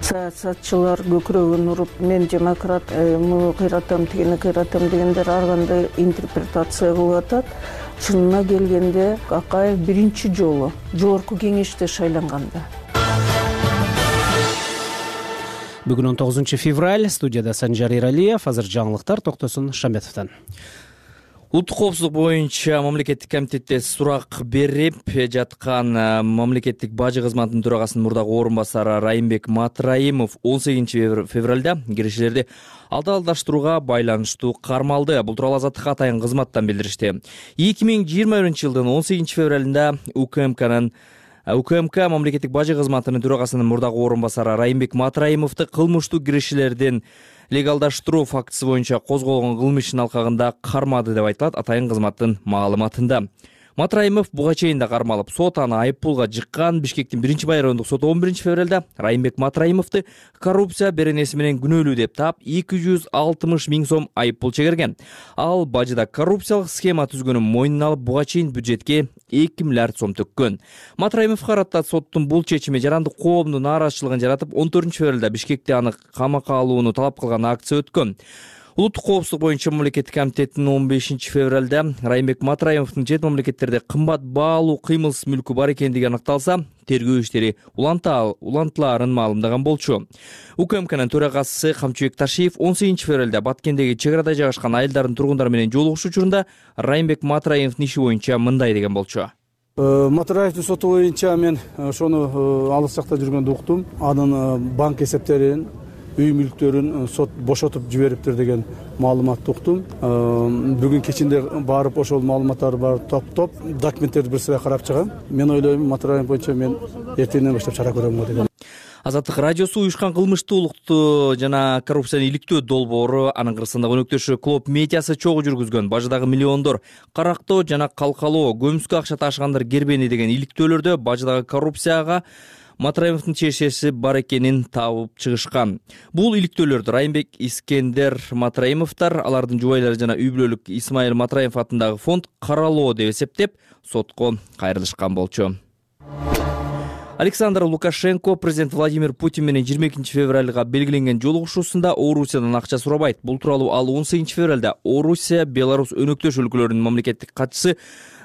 Саясатчылар көкүрөгүн уруп, мен демократ, муну кыйратам, тигини кыйратам дегендер ар кандай интерпретация кылып атат. Чынына келгенде Акаев биринчи жолу жогорку кеңеште шайланганда. Бүгүн он тогузунчу февраль, студияда Санжар Эралиев, азыр жаңылыктар Токтосун Шамбетовдон. Улуттук коопсуздук боюнча мамлекеттик комитетте сурак берип жаткан мамлекеттик бажы кызматынын төрагасынын мурдагы орун басары Райымбек Матраимов он сегизинчи февралда киришилерди алдалдаштырууга байланыштуу кармалды. Бул тууралуу Азаттыкка атайын кызматтан билдиришти. эки миң жыйырма биринчи жылдын он сегизинчи февралында УКМКнын УКМК мамлекеттик бажы кызматынын төрагасынын мурдагы орун басары Райымбек Матраимовду кылмыштуу киришилердин легалдаштыруу фактысы боюнча козголгон кылмыштын алкагында кармады деп айтылат атайын кызматтын маалыматында. Матраимов буга чейин да кармалып, сот аны айыппулга жыккан. Бишкектин биринчи райондук соты он биринчи февралда Райымбек Матраимовду коррупция беренеси менен күнөөлүү деп таап эки жүз алтымыш миң сом айыппул чегерген. Ал бажыда коррупциялык схема түзгөнүн мойнуна алып, буга чейин бюджетке эки миллиард сом төккөн. Матраимов карата соттун бул чечими жарандык коомдун нааразычылыгын жаратып, он төртүнчү февралда Бишкекте аны камакка алууну талап кылган акция өткөн. Улуттук коопсуздук боюнча мамлекеттик комитеттин он бешинчи февралда Райымбек Матраимовдун чет мамлекеттерде кымбат баалуу кыймылсыз мүлкү бар экендиги аныкталса, тергөө иштери улантылаарын маалымдаган болчу. УКМКнын төрагасы Камчыбек Ташиев он сегизинчи февралда Баткендеги чек арада жайгашкан айылдардын тургундары менен жолугушуу учурунда Райымбек Матраимовдун иши боюнча мындай деген болчу. Матраевдин соту боюнча мен ошону алыс жакта жүргөндө уктум. Анын банк эсептерин, үй мүлктөрүн сот бошотуп жибериптир деген маалыматты уктум. Бүгүн кечинде барып ошол маалыматтарды баары топтоп, документтерди бир сыра карап чыгам. Мен ойлойм, Матраев боюнча мен эртеңден баштап чара көрөм деген. Азаттык радиосу уюшкан кылмыштуулукту жана коррупцияны иликтөө долбоору анын кырсындагы өнөктөшү Клоп медиасы чогуу жүргүзгөн бажыдагы миллиондор карактоо жана калкалоо, көмүскө акча ташыгандар кербени деген иликтөөлөрдө бажыдагы коррупцияга Матраимовдун чешеси бар экенин табып чыгышкан. Бул иликтөөлөрдү Райымбек Искендер Матраимовдор, алардын жубайлары жана үй бүлөлүк Исмаил Матраимов атындагы фонд каралоо деп эсептеп, сотко кайрылышкан болчу. Александр Лукашенко президент Владимир Путин менен жыйырма экинчи февралга белгиленген жолугушуусунда Орусиядан акча сурабайт. Бул тууралуу ал он сегизинчи февралда Орусия, Беларусь өнөктөш өлкөлөрүнүн мамлекеттик катчысы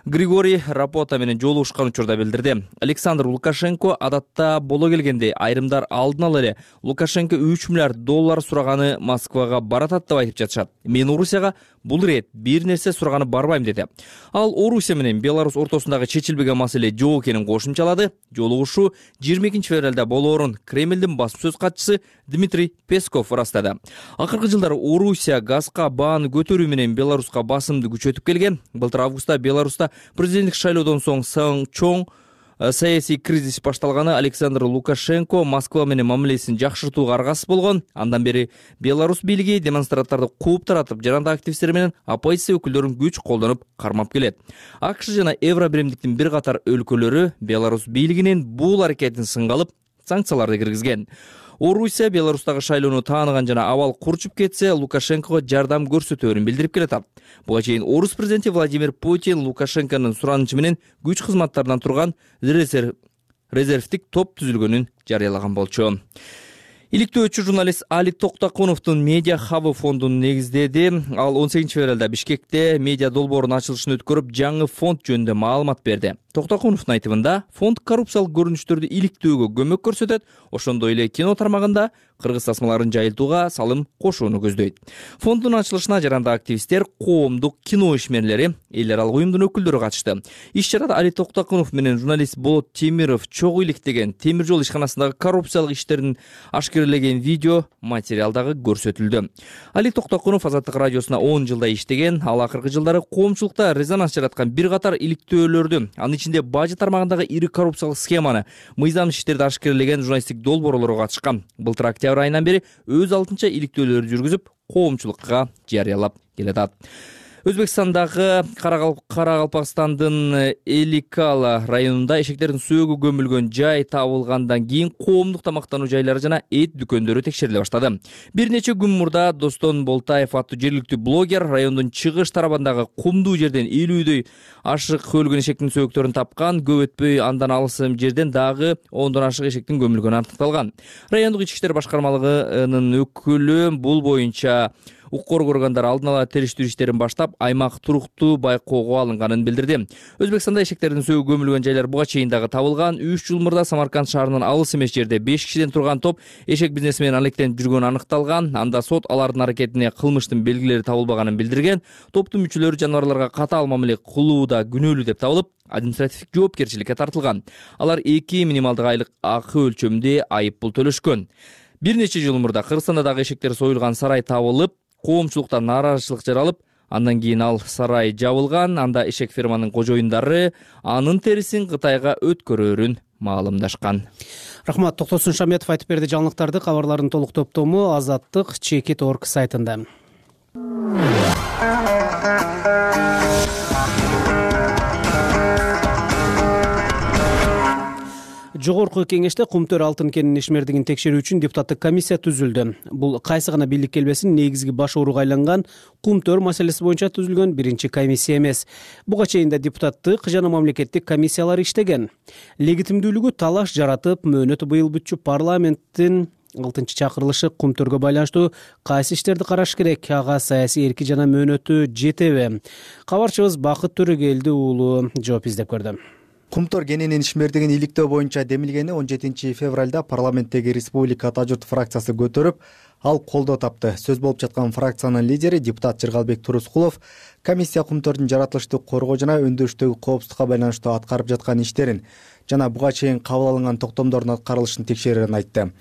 Григорий Рапота менен жолугушкан учурда билдирди. Александр Лукашенко адатта боло келгенде айрымдар алдын ала эле Лукашенко үч миллиард доллар сураганы Москвага баратат деп айтып жатышат. Мен Орусияга бул ирет бир нерсе сураганы барбайм деди. Ал Орусия менен Беларусь ортосундагы чечилбеген маселе жок экенин кошумчалады. Жолугушуу жыйырма экинчи февралда болоорун Кремлдин басма сөз катчысы Дмитрий Песков ырастады. Акыркы жылдары Орусия газга бааны көтөрүү менен Беларуска басымды күчөтүп келген. Былтыр августта Беларуста президенттик шайлоодон соң Сан чоң саясий кризис башталганы Александр Лукашенко Москва менен мамилесин жакшыртууга аргасыз болгон. Андан бери Беларусь бийлиги демонстранттарды кууп таратып, жарандык активисттер менен оппозиция өкүлдөрүн күч колдонуп кармап келет. АКШ жана Евробиримдиктин бир катар өлкөлөрү Беларусь бийлигинин бул аракетин сынга алып, санкцияларды киргизген. Орусия Беларустагы шайлоону тааныган жана абал курчуп кетсе, Лукашенкого жардам көрсөтөөрүн билдирип келатат. Буга чейин Орус президенти Владимир Путин Лукашенконун суранычы менен күч кызматтарынан турган резервдик топ түзүлгөнүн жарыялаган болчу. Иликтөөчү журналист Али Токтокуновдун медиа хабы фондун негиздеди. Ал он сегизинчи февралда Бишкекте медиа долбоорунун ачылышын өткөрүп, жаңы фонд жөнүндө маалымат берди. Токтокуновдун айтымында, фонд коррупциялык көрүнүштөрдү иликтөөгө көмөк көрсөтөт, ошондой эле кино тармагында кыргыз тасмаларын жайылтууга салым кошууну көздөйт. Фонддун ачылышына жарандык активисттер, коомдук кино ишмерлери, эл аралык уюмдун өкүлдөрү катышты. Иш чарада Али Токтокунов менен журналист Болот Темиров чогуу иликтеген темир жол ишканасындагы коррупциялык иштерин ашкерелеген видео материал дагы көрсөтүлдү. Али Токтокунов Азаттык радиосуна он жылдай иштеген, ал акыркы жылдары коомчулукта резонанс жараткан бир катар иликтөөлөрдү, анын ичинде бажы тармагындагы ири коррупциялык схеманы, мыйзам иштерди ашкерелеген журналисттик долбоорлорго катышкан. Былтыр октябрь айынан бери өз алдынча иликтөөлөрдү жүргүзүп, коомчулукка жарыялап келатат. Өзбекстандагы Каракалпакстандын Эликала районунда эшектердин сөөгү көмүлгөн жай табылгандан кийин коомдук тамактануу жайлары жана эт дүкөндөрү текшериле баштады. Бир нече күн мурда Достон Болтаев аттуу жергиликтүү блогер райондун чыгыш тарабындагы кумдуу жерден элүүдөй ашык өлгөн эшектин сөөктөрүн тапкан. Көп өтпөй андан алыс жерден дагы ондон ашык эшектин көмүлгөнү аныкталган. Райондук ички иштер башкармалыгынын өкүлү бул боюнча укук органдар алдын ала териштирүү иштерин баштап, аймак туруктуу байкоого алынганын билдирди. Өзбекстанда эшектердин сөөгү көмүлгөн жайлар буга чейин дагы табылган. үч жыл мурда Самарканд шаарынын алыс эмес жерде беш кишиден турган топ эшек бизнеси менен алектенип жүргөнү аныкталган. Анда сот алардын аракетине кылмыштын белгилери табылбаганын билдирген. Топтун мүчөлөрү жаныбарларга катаал мамиле кылууда күнөөлүү деп табылып, административдик жоопкерчиликке тартылган. Алар эки минималдык айлык акы өлчөмүндө айып пул төлөшкөн. Бир нече жыл мурда Кыргызстанда дагы эшектер союлган сарай табылып, коомчулукта нааразычылык жаралып, андан кийин ал сарай жабылган. Анда эшек ферманын кожоюндары анын терисин Кытайга өткөрөөрүн маалымдашкан. Рахмат, Токтосун Шаметов айтып берди жаңылыктарды. Кабарлардын толук топтому Азаттык чекит точка орг сайтында. Жогорку кеңеште Кумтөр алтын кенинин ишмердигин текшерүү үчүн депутаттык комиссия түзүлдү. Бул кайсы гана бийлик келбесин негизги баш ооруга айланган Кумтөр маселеси боюнча түзүлгөн биринчи комиссия эмес. Буга чейин да депутаттык жана мамлекеттик комиссиялар иштеген. Легитимдүүлүгү талаш жаратып, мөөнөтү быйыл бүтчү парламенттин алтынчы чакырылышы Кумтөргө байланыштуу кайсы иштерди караш керек, ага саясий эрки жана мөөнөтү жетеби? Кабарчыбыз Бакыт Төрөгелди уулу жооп издеп көрдү. Кумтөр кенинин ишмердигин иликтөө боюнча демилгени он жетинчи февралда парламенттеги Республика Ата журт фракциясы көтөрүп, ал колдоо тапты. Сөз болуп жаткан фракциянын лидери депутат Жыргалбек Турускулов комиссия Кумтөрдүн жаратылыштык коргоо жана өндүрүштөгү коопсуздукка байланыштуу аткарып жаткан иштерин жана буга чейин кабыл алынган токтомдордун аткарылышын текшерерин айтты.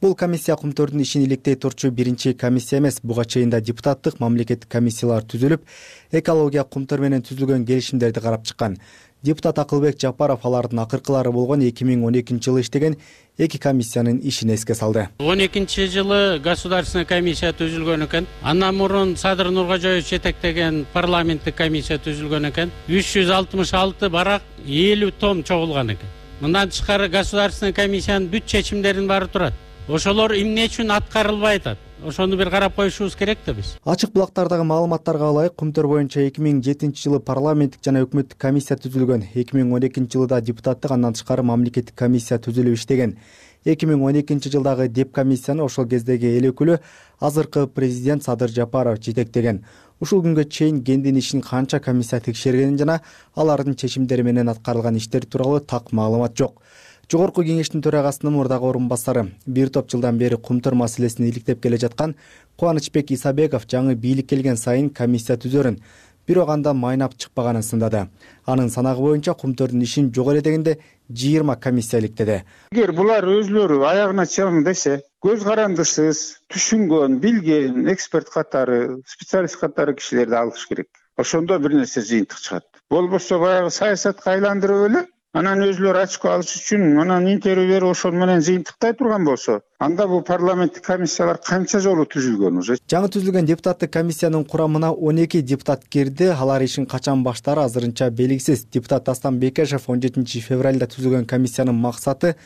Бул комиссия Кумтөрдүн ишин иликтей турчу биринчи комиссия эмес. Буга чейин да депутаттык мамлекеттик комиссиялар түзүлүп, экология Кумтөр менен түзүлгөн келишимдерди карап чыккан. Депутат Акылбек Жапаров алардын акыркылары болгон эки миң он экинчи жылы иштеген эки комиссиянын ишин эске салды. он экинчи жылы государственный комиссия түзүлгөн экен. Андан мурун Садыр Нуркожоевич жетектеген парламенттик комиссия түзүлгөн экен. үч жүз алтымыш алты барак элүү том чогулган экен. Мындан тышкары государственный комиссиянын бүт чечимдеринин баары турат. Ошолор эмне үчүн аткарылбай атат? Ошону бир карап коюшубуз керек да биз. Ачык булактардагы маалыматтарга ылайык, Кумтөр боюнча эки миң жетинчи жылы парламенттик жана өкмөттүк комиссия түзүлгөн. эки миң он экинчи жылда депутаттык, андан тышкары мамлекеттик комиссия түзүлүп иштеген. эки миң он экинчи жылдагы деп комиссияны ошол кездеги эл өкүлү, азыркы президент Садыр Жапаров жетектеген. Ушул күнгө чейин кендин ишин канча комиссия текшергенин жана алардын чечимдери менен аткарылган иштер тууралуу так маалымат жок. Жогорку кеңештин төрагасынын мурдагы орун басары, бир топ жылдан бери Кумтөр маселесин иликтеп келе жаткан Кубанычбек Исабеков жаңы бийлик келген сайын комиссия түзөрүн, бирок анда майнап чыкпаганын сындады. Анын санагы боюнча Кумтөрдүн ишин жок эле дегенде жыйырма комиссия иликтеди. Эгер булар өзлөрү аягына чыгың десе, көз карандысыз, түшүнгөн, билген эксперт катары, специалист катары кишилерди алыш керек. Ошондо бир нерсе жыйынтык чыгат. Болбосо баягы саясатка айландырып эле, анан өзлөрү ачко алыш үчүн анан интервью берип ошол менен жыйынтыктай турган болсо, анда бул парламенттик комиссиялар канча жолу түзүлгөн уже. Жаңы түзүлгөн депутаттык комиссиянын курамына он эки депутат кирди. Алар ишин качан баштаары азырынча белгисиз. Депутат Дастан Бекешев он жетинчи февралда түзүлгөн комиссиянын максаты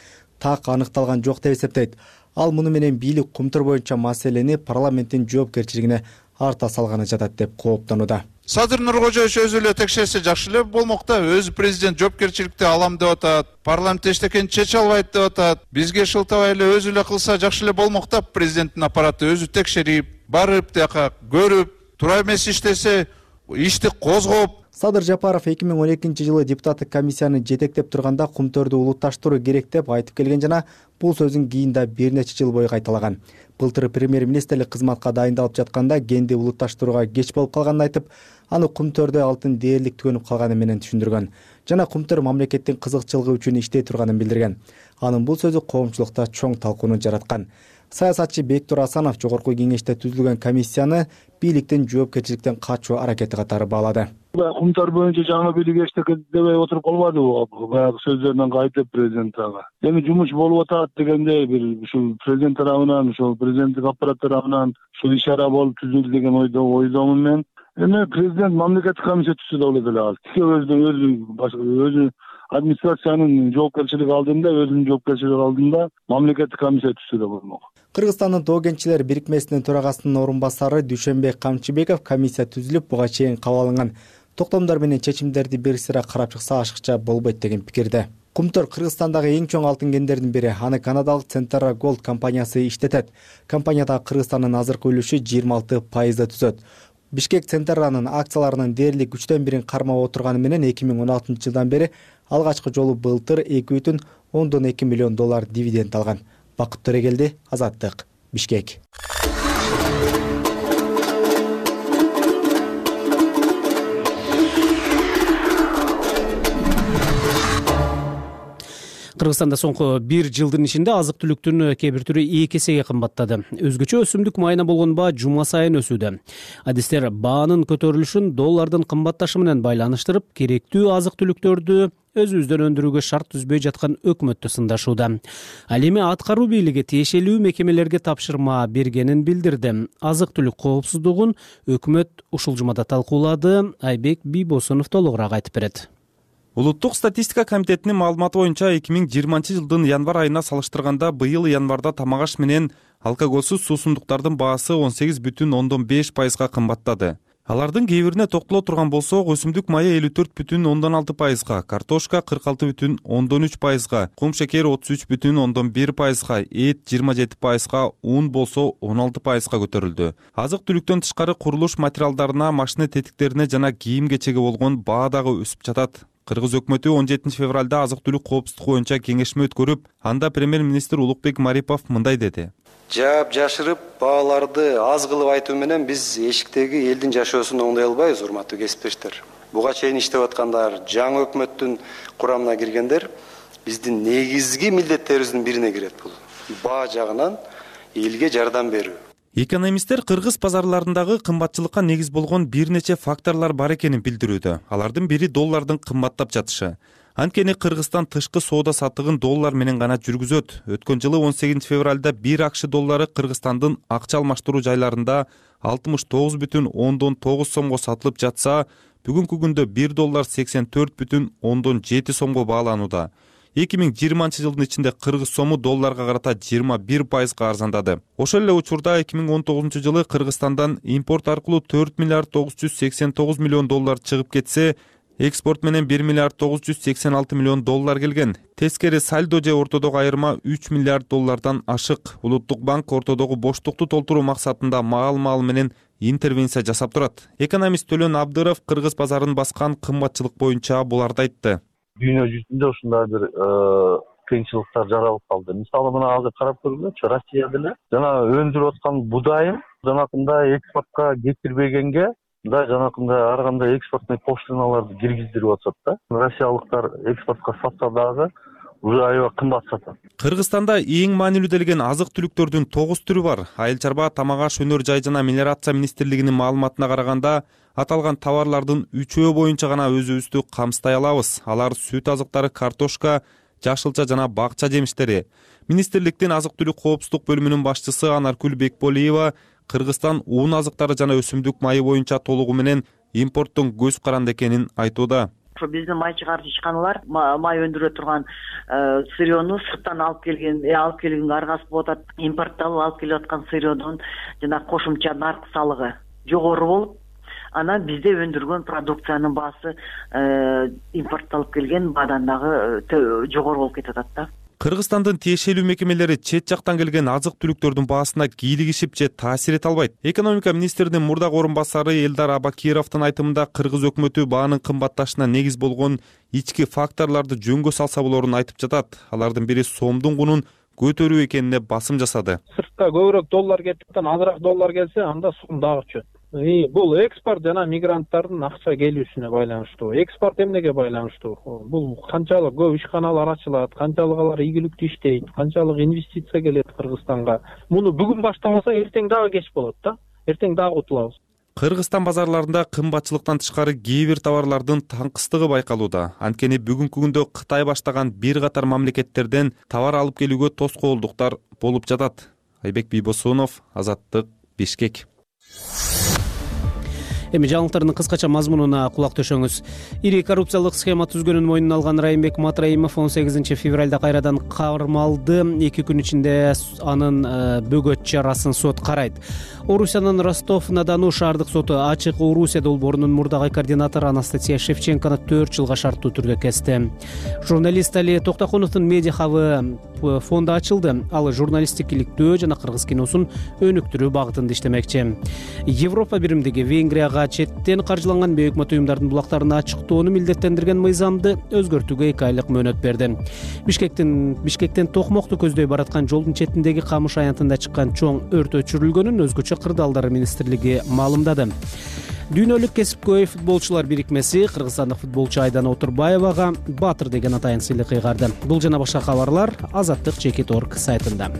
так аныкталган жок деп эсептейт. Ал муну менен бийлик кумтур боюнча маселени парламенттин жоопкерчилигине арта салганы жатат деп кооптонууда. Садыр Нуркожоевич өзү эле текшерсе жакшы эле болмок да. Өзү президент жоопкерчиликти алам деп атат. Парламент эчтекени чече албайт деп атат. Бизге шылтабай эле өзү эле кылса жакшы эле болмок да. Президенттин аппараты өзү текшерип, барып тияка көрүп, туура эмес иштесе, ишти козгоп. Садыр Жапаров эки миң он экинчи жылы депутаттык комиссияны жетектеп турганда кумтөрдү улутташтыруу керек деп айтып келген жана бул сөзүн кийин да бир нече жыл бою кайталаган. Былтыр премьер-министрлик кызматка дайындалып жатканда кенди улутташтырууга кеч болуп калганын айтып, аны кумтөрдө алтын дээрлик түгөнүп калганы менен түшүндүргөн. Жана кумтөр мамлекеттин кызыкчылыгы үчүн иштей турганын билдирген. Анын бул сөзү коомчулукта чоң талкууну жараткан. Саясатчы Бектур Асанов жогорку кеңеште түзүлгөн комиссияны бийликтин жоопкерчиликтен качуу аракети катары баалады. Кумтөр боюнча жаңы бийлик эчтекебей отуруп калбадыбы? Баягы сөздөрүнөн кайтып президент ага. Эми жумуш болуп атат дегенде бир ушул президент тарабынан, ушул президенттик аппарат тарабынан ушул иш-чара болуп түзүлдү деген ойдо ойдомун мен. Эми президент мамлекеттик комиссия түзсө да болот эле ал. Тике өзү өзү өзү администрациянын жоопкерчилиги алдында, өзүнүн жоопкерчилиги алдында мамлекеттик комиссия түзсө да болмок. Кыргызстандын Тоо кентчилер бирикмесинин төрагасынын орун басары Дүйшөнбек Камчыбеков комиссия түзүлүп, буга чейин кабыл алынган токтомдор менен чечимдерди бир сыйра карап чыкса ашыкча болбойт деген пикирде. Кумтөр Кыргызстандагы эң чоң алтын кендердин бири. Аны канадалык Centara Gold компаниясы иштетет. Компанияда Кыргызстандын азыркы үлүшү жыйырма алты пайызды түзөт. Бишкек Центаранын акцияларынын дээрлик үчтөн бирин кармап отурганы менен эки миң он алтынчы жылдан бери алгачкы жолу былтыр эки бүтүн ондон эки миллион доллар дивиденд алган. Бакыт Төрегелди, Азаттык, Бишкек. Кыргызстанда соңку бир жылдын ичинде азык түлүктүн кээ бир түрү эки эсеге кымбаттады. Өзгөчө өсүмдүк майына болгон баа жума сайын өсүүдө. Адистер баанын көтөрүлүшүн доллардын кымбатташы менен байланыштырып, керектүү азык түлүктөрдү өзүбүздөн өндүрүүгө шарт түзбөй жаткан өкмөттү сындашууда. Ал эми аткаруу бийлиги тиешелүү мекемелерге тапшырма бергенин билдирди. Азык түлүк коопсуздугун өкмөт ушул жумада талкуулады. Айбек Бийбосунов толугураак айтып берет. Улуттук статистика комитетинин маалыматы боюнча эки миң жыйырманчы жылдын январь айына салыштырганда быйыл январда тамак аш менен алкоголсуз суусундуктардын баасы он сегиз бүтүн ондон беш пайызга кымбаттады. Алардын кээ бирине токтоло турган болсок, өсүмдүк майы элүү төрт бүтүн ондон алты пайызга, картошка кырк алты бүтүн ондон үч пайызга, кум шекер отуз үч бүтүн ондон бир пайызга, эт жыйырма жети пайызга, ун болсо он алты пайызга көтөрүлдү. Азык түлүктөн тышкары курулуш материалдарына, машина тетиктерине жана кийим кечеге болгон баа дагы өсүп жатат. Кыргыз өкмөтү он жетинчи февралда азык түлүк коопсуздугу боюнча кеңешме өткөрүп, анда премьер-министр Улукбек Марипов мындай деди. Жаап жашырып, бааларды аз кылып айтуу менен биз эшиктеги элдин жашоосун оңдой албайбыз, урматтуу кесиптештер. Буга чейин иштеп аткандар, жаңы өкмөттүн курамына киргендер биздин негизги милдеттерибиздин бирине кирет бул. Баа жагынан элге жардам берүү. Экономисттер кыргыз базарларындагы кымбатчылыкка негиз болгон бир нече факторлор бар экенин билдирүүдө. Алардын бири доллардын кымбаттап жатышы. Анткени Кыргызстан тышкы соода саттыгын доллар менен гана жүргүзөт. Өткөн жылы он сегизинчи февралда бир акш доллары Кыргызстандын акча алмаштыруу жайларында алтымыш тогуз бүтүн ондон тогуз сомго сатылып жатса, бүгүнкү күндө бир доллар сексен төрт бүтүн ондон жети сомго бааланууда. эки миң жыйырманчы жылдын ичинде кыргыз сому долларга карата жыйырма бир пайызга арзандады. Ошол эле учурда эки миң он тогузунчу жылы Кыргызстандан импорт аркылуу төрт миллиард тогуз жүз сексен тогуз миллион доллар чыгып кетсе, экспорт менен бир миллиард тогуз жүз сексен алты миллион доллар келген. Тескери сальдо же ортодогу айырма үч миллиард доллардан ашык. Улуттук банк ортодогу боштукту толтуруу максатында маал-маал менен интервенция жасап турат. Экономист Төлөн Абдыров кыргыз базарын баскан кымбатчылык боюнча буларды айтты. Дүйнө жүзүндө ушундай бир кыйынчылыктар жаралып калды. Мисалы мына азыр карап көргүлөчү, Россия деле жана өндүрүп аткан будайын жанакындай экспортко кетирбегенге да жанакындай ар кандай экспортный пошлиналарды киргиздирип атышат да. Россиялыктар экспортко сатса дагы уже аябай кымбат сатат. Кыргызстанда эң маанилүү делген азык түлүктөрдүн тогуз түрү бар. Айыл чарба, тамак аш, өнөр жай жана мелиорация министрлигинин маалыматына караганда, аталган товарлардын үчөө боюнча гана өзүбүздү камсытай алабыз. Алар сүт азыктары, картошка, жашылча жана бакча жемиштери. Министрликтин азык түлүк коопсуздук бөлүмүнүн башчысы Анаркүл Бекболиева Кыргызстан уун азыктары жана өсүмдүк майы боюнча толугу менен импорттун көз каранды экенин айтууда. ошо биздин май чыгарчы ишканалар май өндүрө турган сырьену сырттан алып келген алып келгенге аргасыз болуп атат. Импортталып алып келип аткан сырьенун жанагы кошумча нарк салыгы жогору болуп, анан бизде өндүргөн продукциянын баасы импортталып келген баадан дагы жогору болуп кетип атат да. Кыргызстандын тиешелүү мекемелери чет жактан келген азык түлүктөрдүн баасына кийлигишип же таасир эте албайт. Экономика министринин мурдагы орун басары Элдар Абакировдун айтымында кыргыз өкмөтү баанын кымбатташына негиз болгон ички факторлорду жөнгө салса болорун айтып жатат. Алардын бири сомдун кунун көтөрүү экенине басым жасады. Сыртка көбүрөөк доллар кетип, азыраак доллар келсе, анда сом дагы өчөт. Бул экспорт жана мигранттардын акча келүүсүнө байланыштуу. Экспорт эмнеге байланыштуу? Бул канчалык көп ишканалар ачылат, канчалык алар ийгиликтүү иштейт, канчалык инвестиция келет Кыргызстанга. Муну бүгүн баштамаса эртең дагы кеч болот да. Эртең дагы утулабыз. Кыргызстан базарларында кымбатчылыктан тышкары кээ бир товарлардын таңкыстыгы байкалууда. Анткени бүгүнкү күндө Кытай баштаган бир катар мамлекеттерден товар алып келүүгө тоскоолдуктар болуп жатат. Айбек Бийбосунов, Азаттык, Бишкек. Эми жаңылыктардын кыскача мазмунуна кулак төшөңүз. Ири коррупциялык схема түзгөнүн мойнуна алган Райымбек Матраимов он сегизинчи февралда кайрадан кармалды. эки күн ичинде анын бөгөт чарасын сот карайт. Орусиянын Ростов-на-Дону шаардык соту ачык Орусия долбоорунун мурдагы координатору Анастасия Шевченкону төрт жылга шарттуу түрдө кести. Журналист Али Токтоконовдун медиа хабы фонду ачылды. Ал журналисттик иликтөө жана кыргыз киносун өнүктүрүү багытында иштемекчи. Европа биримдиги Венгрияга четтен каржыланган бейөкмөт уюмдардын булактарын ачыктоону милдеттендирген мыйзамды өзгөртүүгө эки айлык мөөнөт берди. Бишкектин Бишкектен Токмокту көздөй бараткан жолдун четиндеги Камыш аянтында чыккан чоң өрт өчүрүлгөнүн өзгөчө кырдаалдары министрлиги маалымдады. Дүйнөлүк кесипкөй футболчулар бирикмеси кыргызстандык футболчу Айдана Отурбаевага Баатыр деген атайын сыйлык кыйгарды. Бул жана башка кабарлар азаттык чекит точка орг сайтында.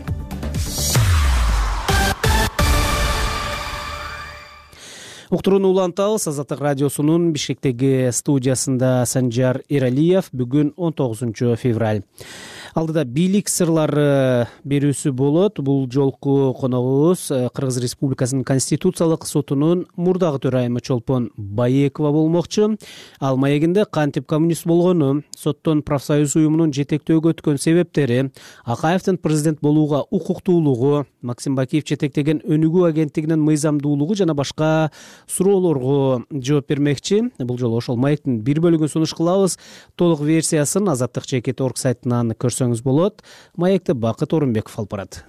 Уктурууну улантабыз. Азаттык радиосунун Бишкектеги студиясында Санжар Эралиев. Бүгүн он тогузунчу февраль. Алдыда бийлик сырлары берүүсү болот. Бул жолку коногубуз Кыргыз Республикасынын Конституциялык сотунун мурдагы төрайымы Чолпон Баекова болмокчу. Ал маегинде кантип коммунист болгону, соттон профсоюз уюмунун жетектөөгө өткөн себептери, Акаевдин президент болууга укуктуулугу, Максим Бакиев жетектеген өнүгүү агенттигинин мыйзамдуулугу жана башка суроолорго жооп бермекчи. Бул жолу ошол маектин бир бөлүгүн сунуш кылабыз. Толук версиясын азаттык чекит точка орг сайтынан көрсөңүз болот. Маекти Бакыт Орунбеков алып барат.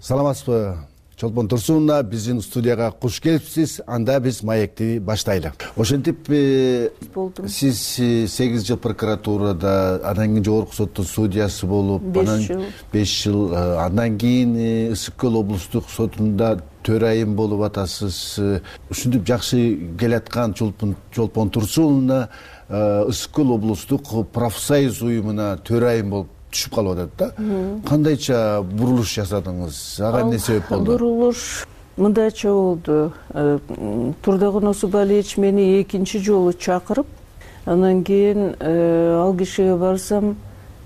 Саламатсызбы, Чолпон Турсуновна, биздин студияга куш келипсиз. Анда биз маекти баштайлы. Ошентип сиз сегиз жыл прокуратурада, андан кийин жогорку соттун судьясы болуп, анан беш жыл, андан кийин Ысык Көл облустук сотунда төрайым болуп атасыз. Ушинтип жакшы келаткан Чолпон Турсуновна Ысык Көл облустук профсоюз уюмуна төрайым болуп түшүп калып атат да. Кандайча бурулуш жасадыңыз? Ага эмне себеп болду? Бурулуш мындайча болду. Турдаган Осубалиевич мени экинчи жолу чакырып, андан кийин ал кишиге барсам,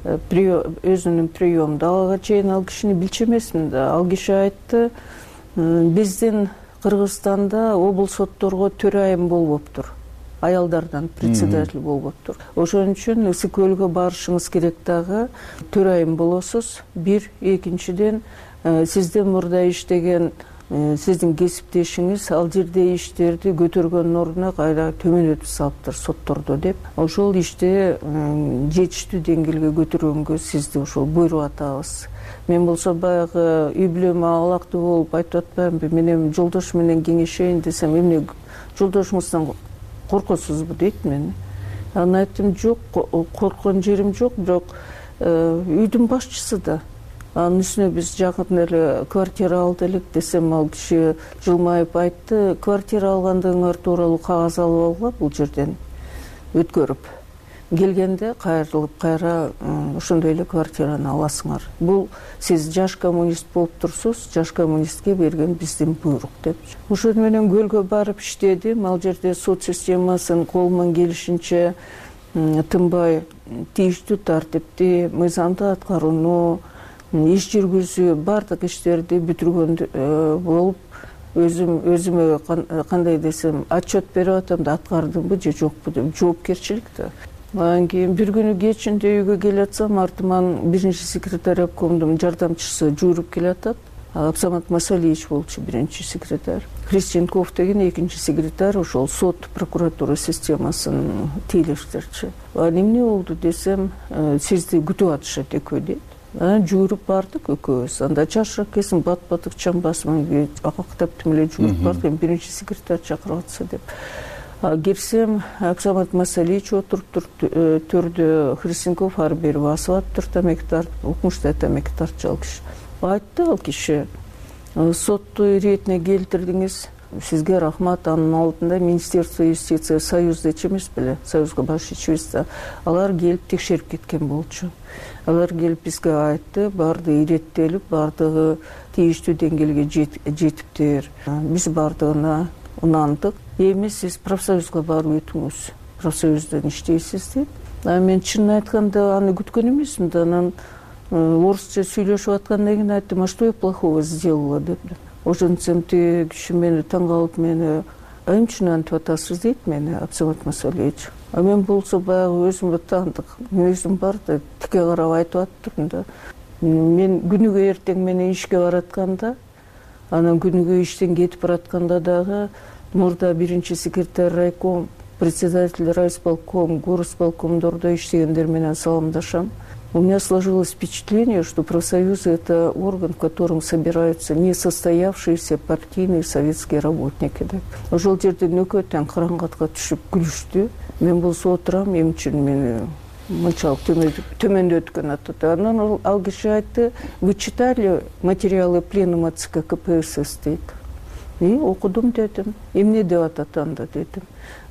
өзүнүн приемда алга чейин ал кишини билчү эмесмин да. Ал киши айтты, биздин Кыргызстанда облус сотторго төрайым болбоптур. Аялдардан председатель болбоптур. Ошон үчүн Ысык Көлгө барышыңыз керек дагы, төрайым болосуз. Бир, экинчиден сизден мурда иштеген сиздин кесиптешиңиз ал жерде иштерди көтөргөндүн ордуна кайра төмөнөтүп салыптыр соттордо деп. Ошол ишти жетиштүү деңгээлге көтөргөнгө сизди ошол буйруп атабыз. Мен болсо баягы үй бүлөмө алактуу болуп айтып атпаймынбы, мен эми жолдош менен кеңешейин десем, эмне жолдошуңуздан коркосузбу дейт мени. Анан айттым, жок, корккон жерим жок, бирок үйдүн башчысы да. Анын үстүнө биз жакын эле квартира алды элек десем, ал киши жылмайып айтты, квартира алгандыгыңар тууралуу кагаз алып алгыла бул жерден өткөрүп. Келгенде кайрылып кайра ошондой эле квартираны аласыңар. Бул сиз жаш коммунист болуп турсуз, жаш коммунистке берген биздин буйрук деп. Ошон менен көлгө барып иштедим. Ал жерде сот системасын колуман келишинче тынбай тийиштүү тартипти, мыйзамды аткарууну, иш жүргүзүү, бардык иштерди бүтүргөн болуп, өзүм өзүмө кандай десем, отчет берип атам да, аткардымбы же жокпу деп жоопкерчилик да. Анан кийин бир күнү кечинде үйгө келатсам, артыман биринчи секретарь обкомдун жардамчысы жууруп келатат. Абсамат Масалиевич болчу биринчи секретарь. Христенков деген экинчи секретарь, ошол сот прокуратура системасын тейлештерчи. Анан эмне болду десем, сизди күтүп атышат экөө дейт. Анан жууруп бардык экөөбүз. Анда жашыраак келсин, бат батык чамбасман акактап эле жууруп бардык. Эми биринчи секретарь чакырып атса деп. Кирсем, Абсамат Масалиевич отуруп төрдө, Христенков ары бери басып атыптыр, тамеки тартып, укмуштай тамеки тартчу ал киши. Айтты ал киши, сотту иретине келтирдиңиз, сизге рахмат. Анын алдында Министерство юстиция, Союздачы эмес беле, Союзга баш ичибиз да, алар келип текшерип кеткен болчу. Алар келип бизге айтты, баардыгы иреттелип, баардыгы тийиштүү деңгээлге жетиптир. Биз баардыгына унандык. Эми сиз профсоюзга барып өтүңүз, профсоюздон иштейсиз деп. Мен чынын айтканда аны күткөн эмесмин да. Анан орусча сүйлөшүп аткандан кийин айттым, а что я плохого сделала деп. Ошентсем тиги киши мени таң калып, мени эмне үчүн антип атасыз дейт мени Абсамат Масалиевич. А мен болсо баягы өзүмө таандык өзүм бар да, тике карап айтып аттырмын да. Мен күнүгө эртең менен ишке баратканда, анан күнүгө иштен кетип баратканда дагы мурда биринчи секретарь райком, председатель райисполком, горосполкомдордо иштегендер менен саламдашам. У меня сложилось впечатление, что профсоюзы — это орган, в котором собираются несостоявшиеся партийные советские работники. Ошол жерде нөкөттөн караңгатка түшүп күлүштү. Мен болсо отурам, эмне үчүн мени мынчалык төмөндөткөн атат. Анан ал киши айтты, вы читали материалы пленума ЦК КПСС дейт. И окудум дедим. Эмне деп атат анда дедим.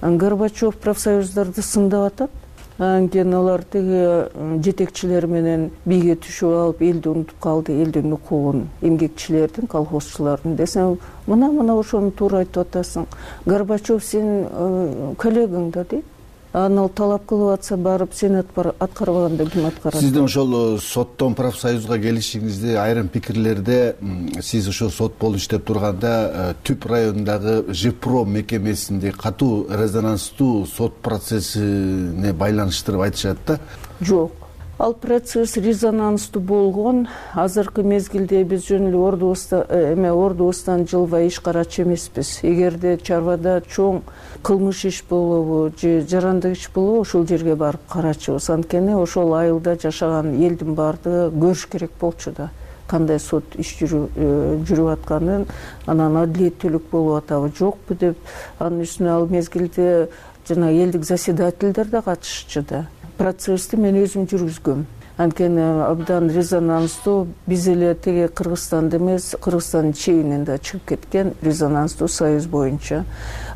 Горбачев профсоюздарды сындап атат. Анан кийин алар тиги жетекчилер менен бийге түшүп алып, элди унутуп калды, элдин укугун, эмгекчилердин, колхозчулардын десем, мына мына ошону туура айтып атасың. Горбачев сенин коллегаң да дейт. Анан ал талап кылып атса, барып сен аткарбаганда ким аткарат? Сиздин ошол соттон профсоюзга келишиңизди айрым пикирлерде сиз ошо сот болуп иштеп турганда Түп районундагы ЖИПРО мекемесинде катуу резонанстуу сот процессине байланыштырып айтышат да. Жок. Ал процесс резонанстуу болгон. Азыркы мезгилде биз жөн эле ордубузда эме ордубуздан жылбай иш карачу эмеспиз. Эгерде чарбада чоң кылмыш иш болобу же жарандык иш болобу, ошол жерге барып карачубуз. Анткени ошол айылда жашаган элдин баардыгы көрүш керек болчу да, кандай сот иш жүрүп атканын, анан адилеттүүлүк болуп атабы жокпу деп. Анын үстүнө ал мезгилде жана элдик заседательдер да катышчу да. Процессти мен өзүм жүргүзгөм. Анткени абдан резонанстуу, биз эле тиги Кыргызстанда эмес, Кыргызстандын чегинен да чыгып кеткен резонанстуу союз боюнча.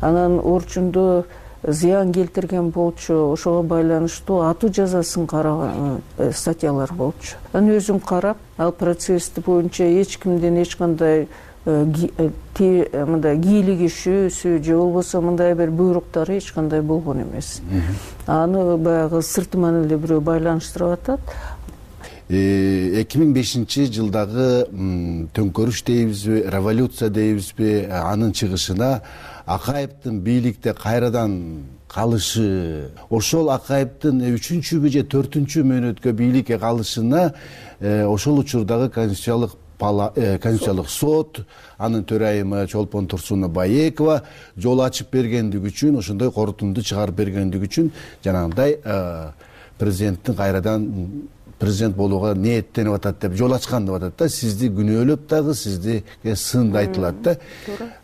Анан Орчунду зыян келтирген болчу, ошого байланыштуу атуу жазасын караган статьялар болчу. Анан өзүм карап, ал процессти боюнча эч кимден эч кандай мындай кийлигишүүсү же болбосо мындай бир буйруктары эч кандай болгон эмес. Аны баягы сыртыман эле бирөө байланыштырып атат. эки миң бешинчи жылдагы төңкөрүш дейбизби, революция дейбизби, анын чыгышына Акаевдин бийликте кайрадан калышы, ошол Акаевдин үчүнчүбү же төртүнчү мөөнөткө бийликке калышына ошол учурдагы конституциялык конституциялык сот, анын төрайымы Чолпон Турсуна Баекова жол ачып бергендиги үчүн, ошондой корутунду чыгарып бергендиги үчүн жанагындай президенттин кайрадан президент болууга ниеттенип атат деп жол ачкан деп атат да. Сизди күнөөлөп дагы, сизди сынды айтылат да.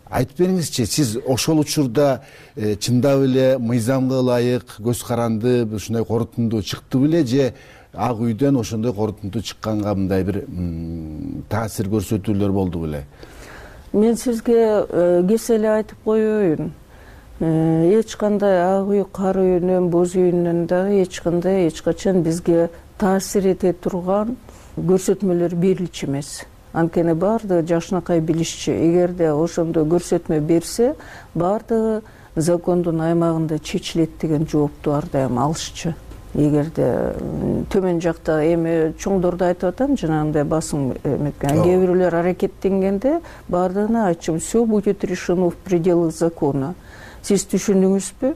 Айтып бериңизчи, сиз ошол учурда чындап эле мыйзамга ылайык, көз каранды ушундай корутунду чыкты беле же Ак үйдөн ошондой корутунду чыкканга мындай бир таасир көрсөтүүлөр болду беле? Мен сизге кесе эле айтып коеюн. Эч кандай Ак үй, Кара үйүнөн, Боз үйүнөн дагы эч кандай эч качан бизге таасир эте турган көрсөтмөлөр берилчү эмес. Анткени баардыгы жакшынакай билишчү. Эгерде ошондой көрсөтмө берсе, баардыгы закондун аймагында чечилет деген жоопту ар дайым алышчу. Эгерде төмөн жакта эми чоңдорду айтып атам, жанагындай басым эметкен, кээ бирөөлөр аракеттенгенде баардыгына айтчумун, все будет решено в пределах закона. Сиз түшүндүңүзбү?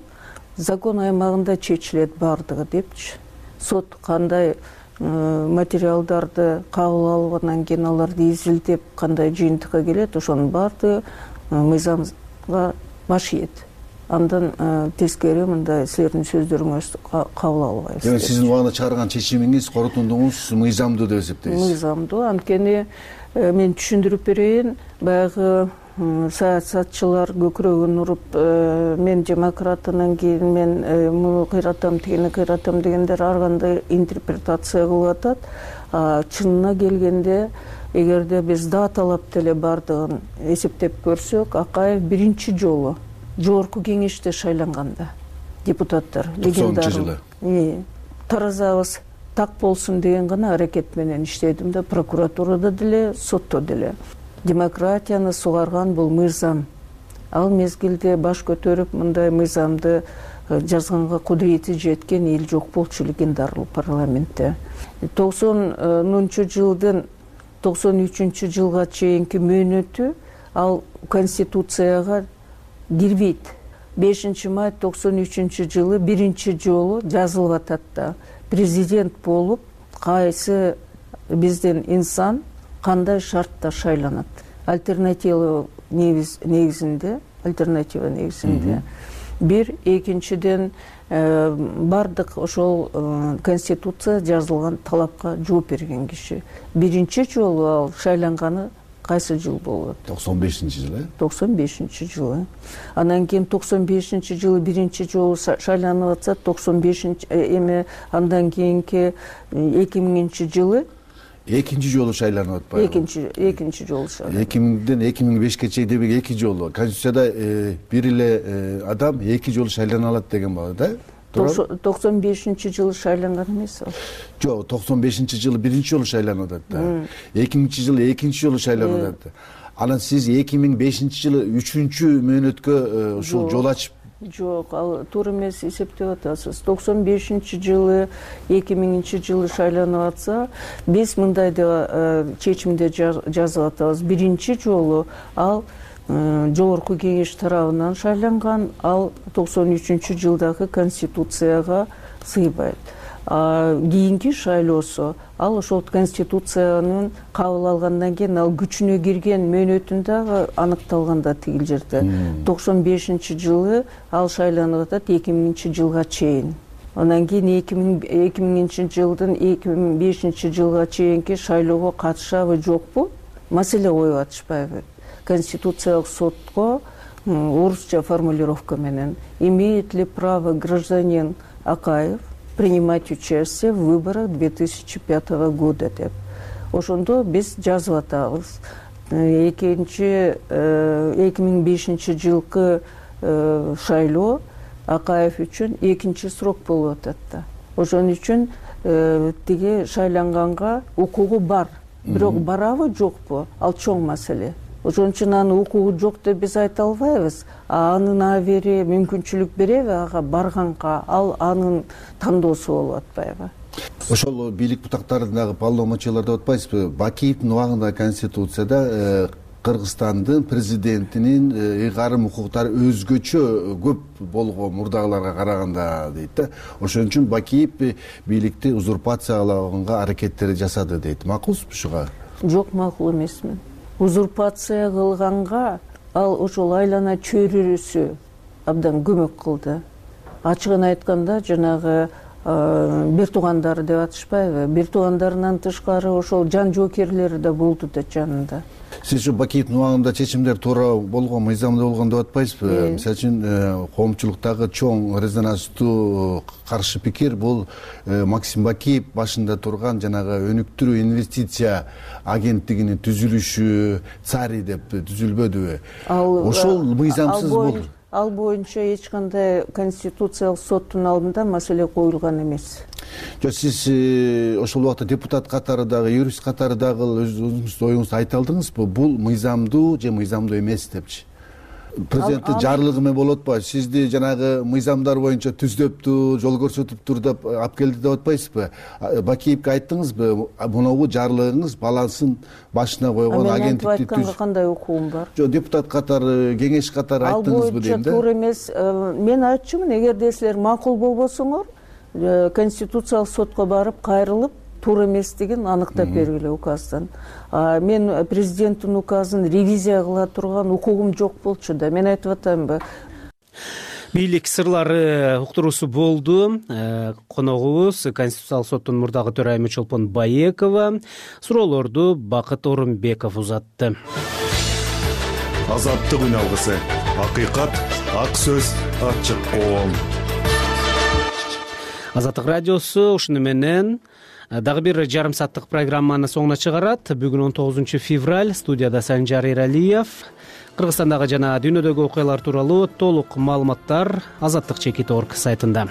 закон аймагында чечилет баардыгы депчи. Сот кандай материалдарды кабыл алып анан кийин аларды изилдеп кандай жыйынтыкка келет, ошонун баардыгы мыйзамга баш ийет. Андан тескери мындай силердин сөздөрүңүз кабыл албайбыз. Демек сиздин убагында чыгарган чечимиңиз, корутундугуңуз мыйзамдуу деп эсептейсиз? Мыйзамдуу, анткени мен түшүндүрүп берейин, баягы саясатчылар көкүрөгүн уруп мен демократ, анан кийин мен муну кыйратам, тигини кыйратам дегендер ар кандай интерпретация кылып атат. Чынына келгенде, эгерде биз даталап деле баардыгын эсептеп көрсөк, Акаев биринчи жолу жогорку кеңеште шайланганда депутаттар токсонунчу жылы таразабыз так болсун деген гана аракет менен иштедим да, прокуратурада деле, сотто деле. Демократияны сугарган бул мыйзам. Ал мезгилде баш көтөрүп мындай мыйзамды жазганга кудурети жеткен эл жок болчу легендарный парламентте. токсонунчу жылдын токсон үчүнчү жылга чейинки мөөнөтү ал конституцияга кирбейт. бешинчи май токсон үчүнчү жылы биринчи жолу жазылып атат да. Президент болуп кайсы биздин инсан кандай шартта шайланат. Альтернатива негизинде, альтернатива негизинде. Бир, экинчиден бардык ошол конституция жазылган талапка жооп берген киши. Биринчи жолу ал шайланганы кайсы жыл болот? токсон бешинчи жылы. токсон бешинчи жылы. Анан кийин токсон бешинчи жылы биринчи жолу шайланып атса, токсон бешинчи эми андан кийинки эки миңинчи жылы экинчи жолу шайланып атпайбы? Экинчи экинчи жолу шайланып. эки миңден эки миң бешке чейин демек эки жолу. Конституцияда бир эле адам эки жолу шайлана алат деген бар да? токсон бешинчи жылы шайланган эмес ал. Жок, токсон бешинчи жылы биринчи жолу шайланып атат да. эки миңинчи жылы экинчи жолу шайланып атат. Анан сиз эки миң бешинчи жылы үчүнчү мөөнөткө ушул жол ачып? Жок, ал туура эмес эсептеп атасыз. токсон бешинчи жылы эки миңинчи жылы шайланып атса, биз мындай деп чечимде жазып атабыз. Биринчи жолу ал жогорку кеңеш тарабынан шайланган, ал токсон үчүнчү жылдагы конституцияга сыйбайт. Кийинки шайлоосу ал ошол конституциянын кабыл алгандан кийин ал күчүнө кирген мөөнөтүндө аныкталганда тигил жерде токсон бешинчи жылы ал шайланып атат эки миңинчи жылга чейин. Андан кийин эки миңинчи жылдын эки миң бешинчи жылга чейинки шайлоого катышабы жокпу? Маселе коюп атышпайбы? Конституциялык сотко орусча формулировка менен имеет ли право гражданин Акаев принимать участие в выборах две тысячи пятого года деп. Ошондо биз жазып атабыз. Экинчи эки миң бешинчи жылкы шайлоо Акаев үчүн экинчи срок болуп атат да. Ошон үчүн тиги шайланганга укугу бар. Бирок барабы жокпу? Ал чоң маселе. Ошон үчүн анын укугу жок деп биз айта албайбыз. Анын абери мүмкүнчүлүк береби ага барганга? Ал анын тандоосу болуп атпайбы? Ошол бийлик бутактарын дагы полномочиялар деп атпайсызбы? Бакиевдин убагында Конституцияда Кыргызстандын президентинин ыйгарым укуктары өзгөчө көп болгон мурдагыларга караганда дейт да. Ошон үчүн Бакиев бийликти узурпациялаганга аракеттер жасады дейт. Макулсузбу ушуга? Жок, макул эмесмин. Узурпация кылганга ал ошол айлана чөйрөсү абдан көмөк кылды. Ачыгын айтканда жанагы бир туугандары деп атышпайбы? Бир туугандарынан тышкары ошол жан жоокерлери да болду да жанында. Сиз ушу Бакиевдин убагында чечимдер туура болгон, мыйзамдуу болгон деп атпайсызбы? Мисалы үчүн коомчулуктагы чоң резонанстуу каршы пикир бул Максим Бакиев башында турган жанагы өнүктүрүү инвестиция агенттигинин түзүлүшү цари деп түзүлбөдүбү? Ошол мыйзамсыз болду. Ал боюнча эч кандай конституциялык соттун алдында маселе коюлган эмес. Жок, сиз ошол убакта депутат катары дагы, юрист катары дагы өзүңүздүн оюңузду айта алдыңызбы? Бул мыйзамдуу же мыйзамдуу эмес депчи? президенттин жарлыгы менен болуп атпайбы? Сизди жанагы мыйзамдар боюнча түздөптү, жол көрсөтүптүр деп алып келди деп атпайсызбы? Бакиевке айттыңызбы, моногу жарлыгыңыз балансын башына койгон агенттикти мен айтканга кандай укугум бар? Жок, депутат катары, кеңеш катары айттыңызбы дейм да. Ал боюнча туура эмес. Мен айтчумун, эгерде силер макул болбосоңор, конституциялык сотко барып кайрылып, туура эместигин аныктап бергиле указдан. Мен президенттин указын ревизия кыла турган укугум жок болчу да. Мен айтып атамбы. Бийлик сырлары уктуруусу болду. Коногубуз Конституциялык соттун мурдагы төрайымы Чолпон Баекова. Суроолорду Бакыт Орунбеков узатты. Азаттык үн алгысы. Акыйкат, ак сөз, ачык коом. Азаттык радиосу ушуну менен дагы бир жарым сааттык программаны соңуна чыгарат. Бүгүн он тогузунчу февраль, студияда Санжар Эралиев. Кыргызстандагы жана дүйнөдөгү окуялар тууралуу толук маалыматтар Азаттык чекит точка орг сайтында.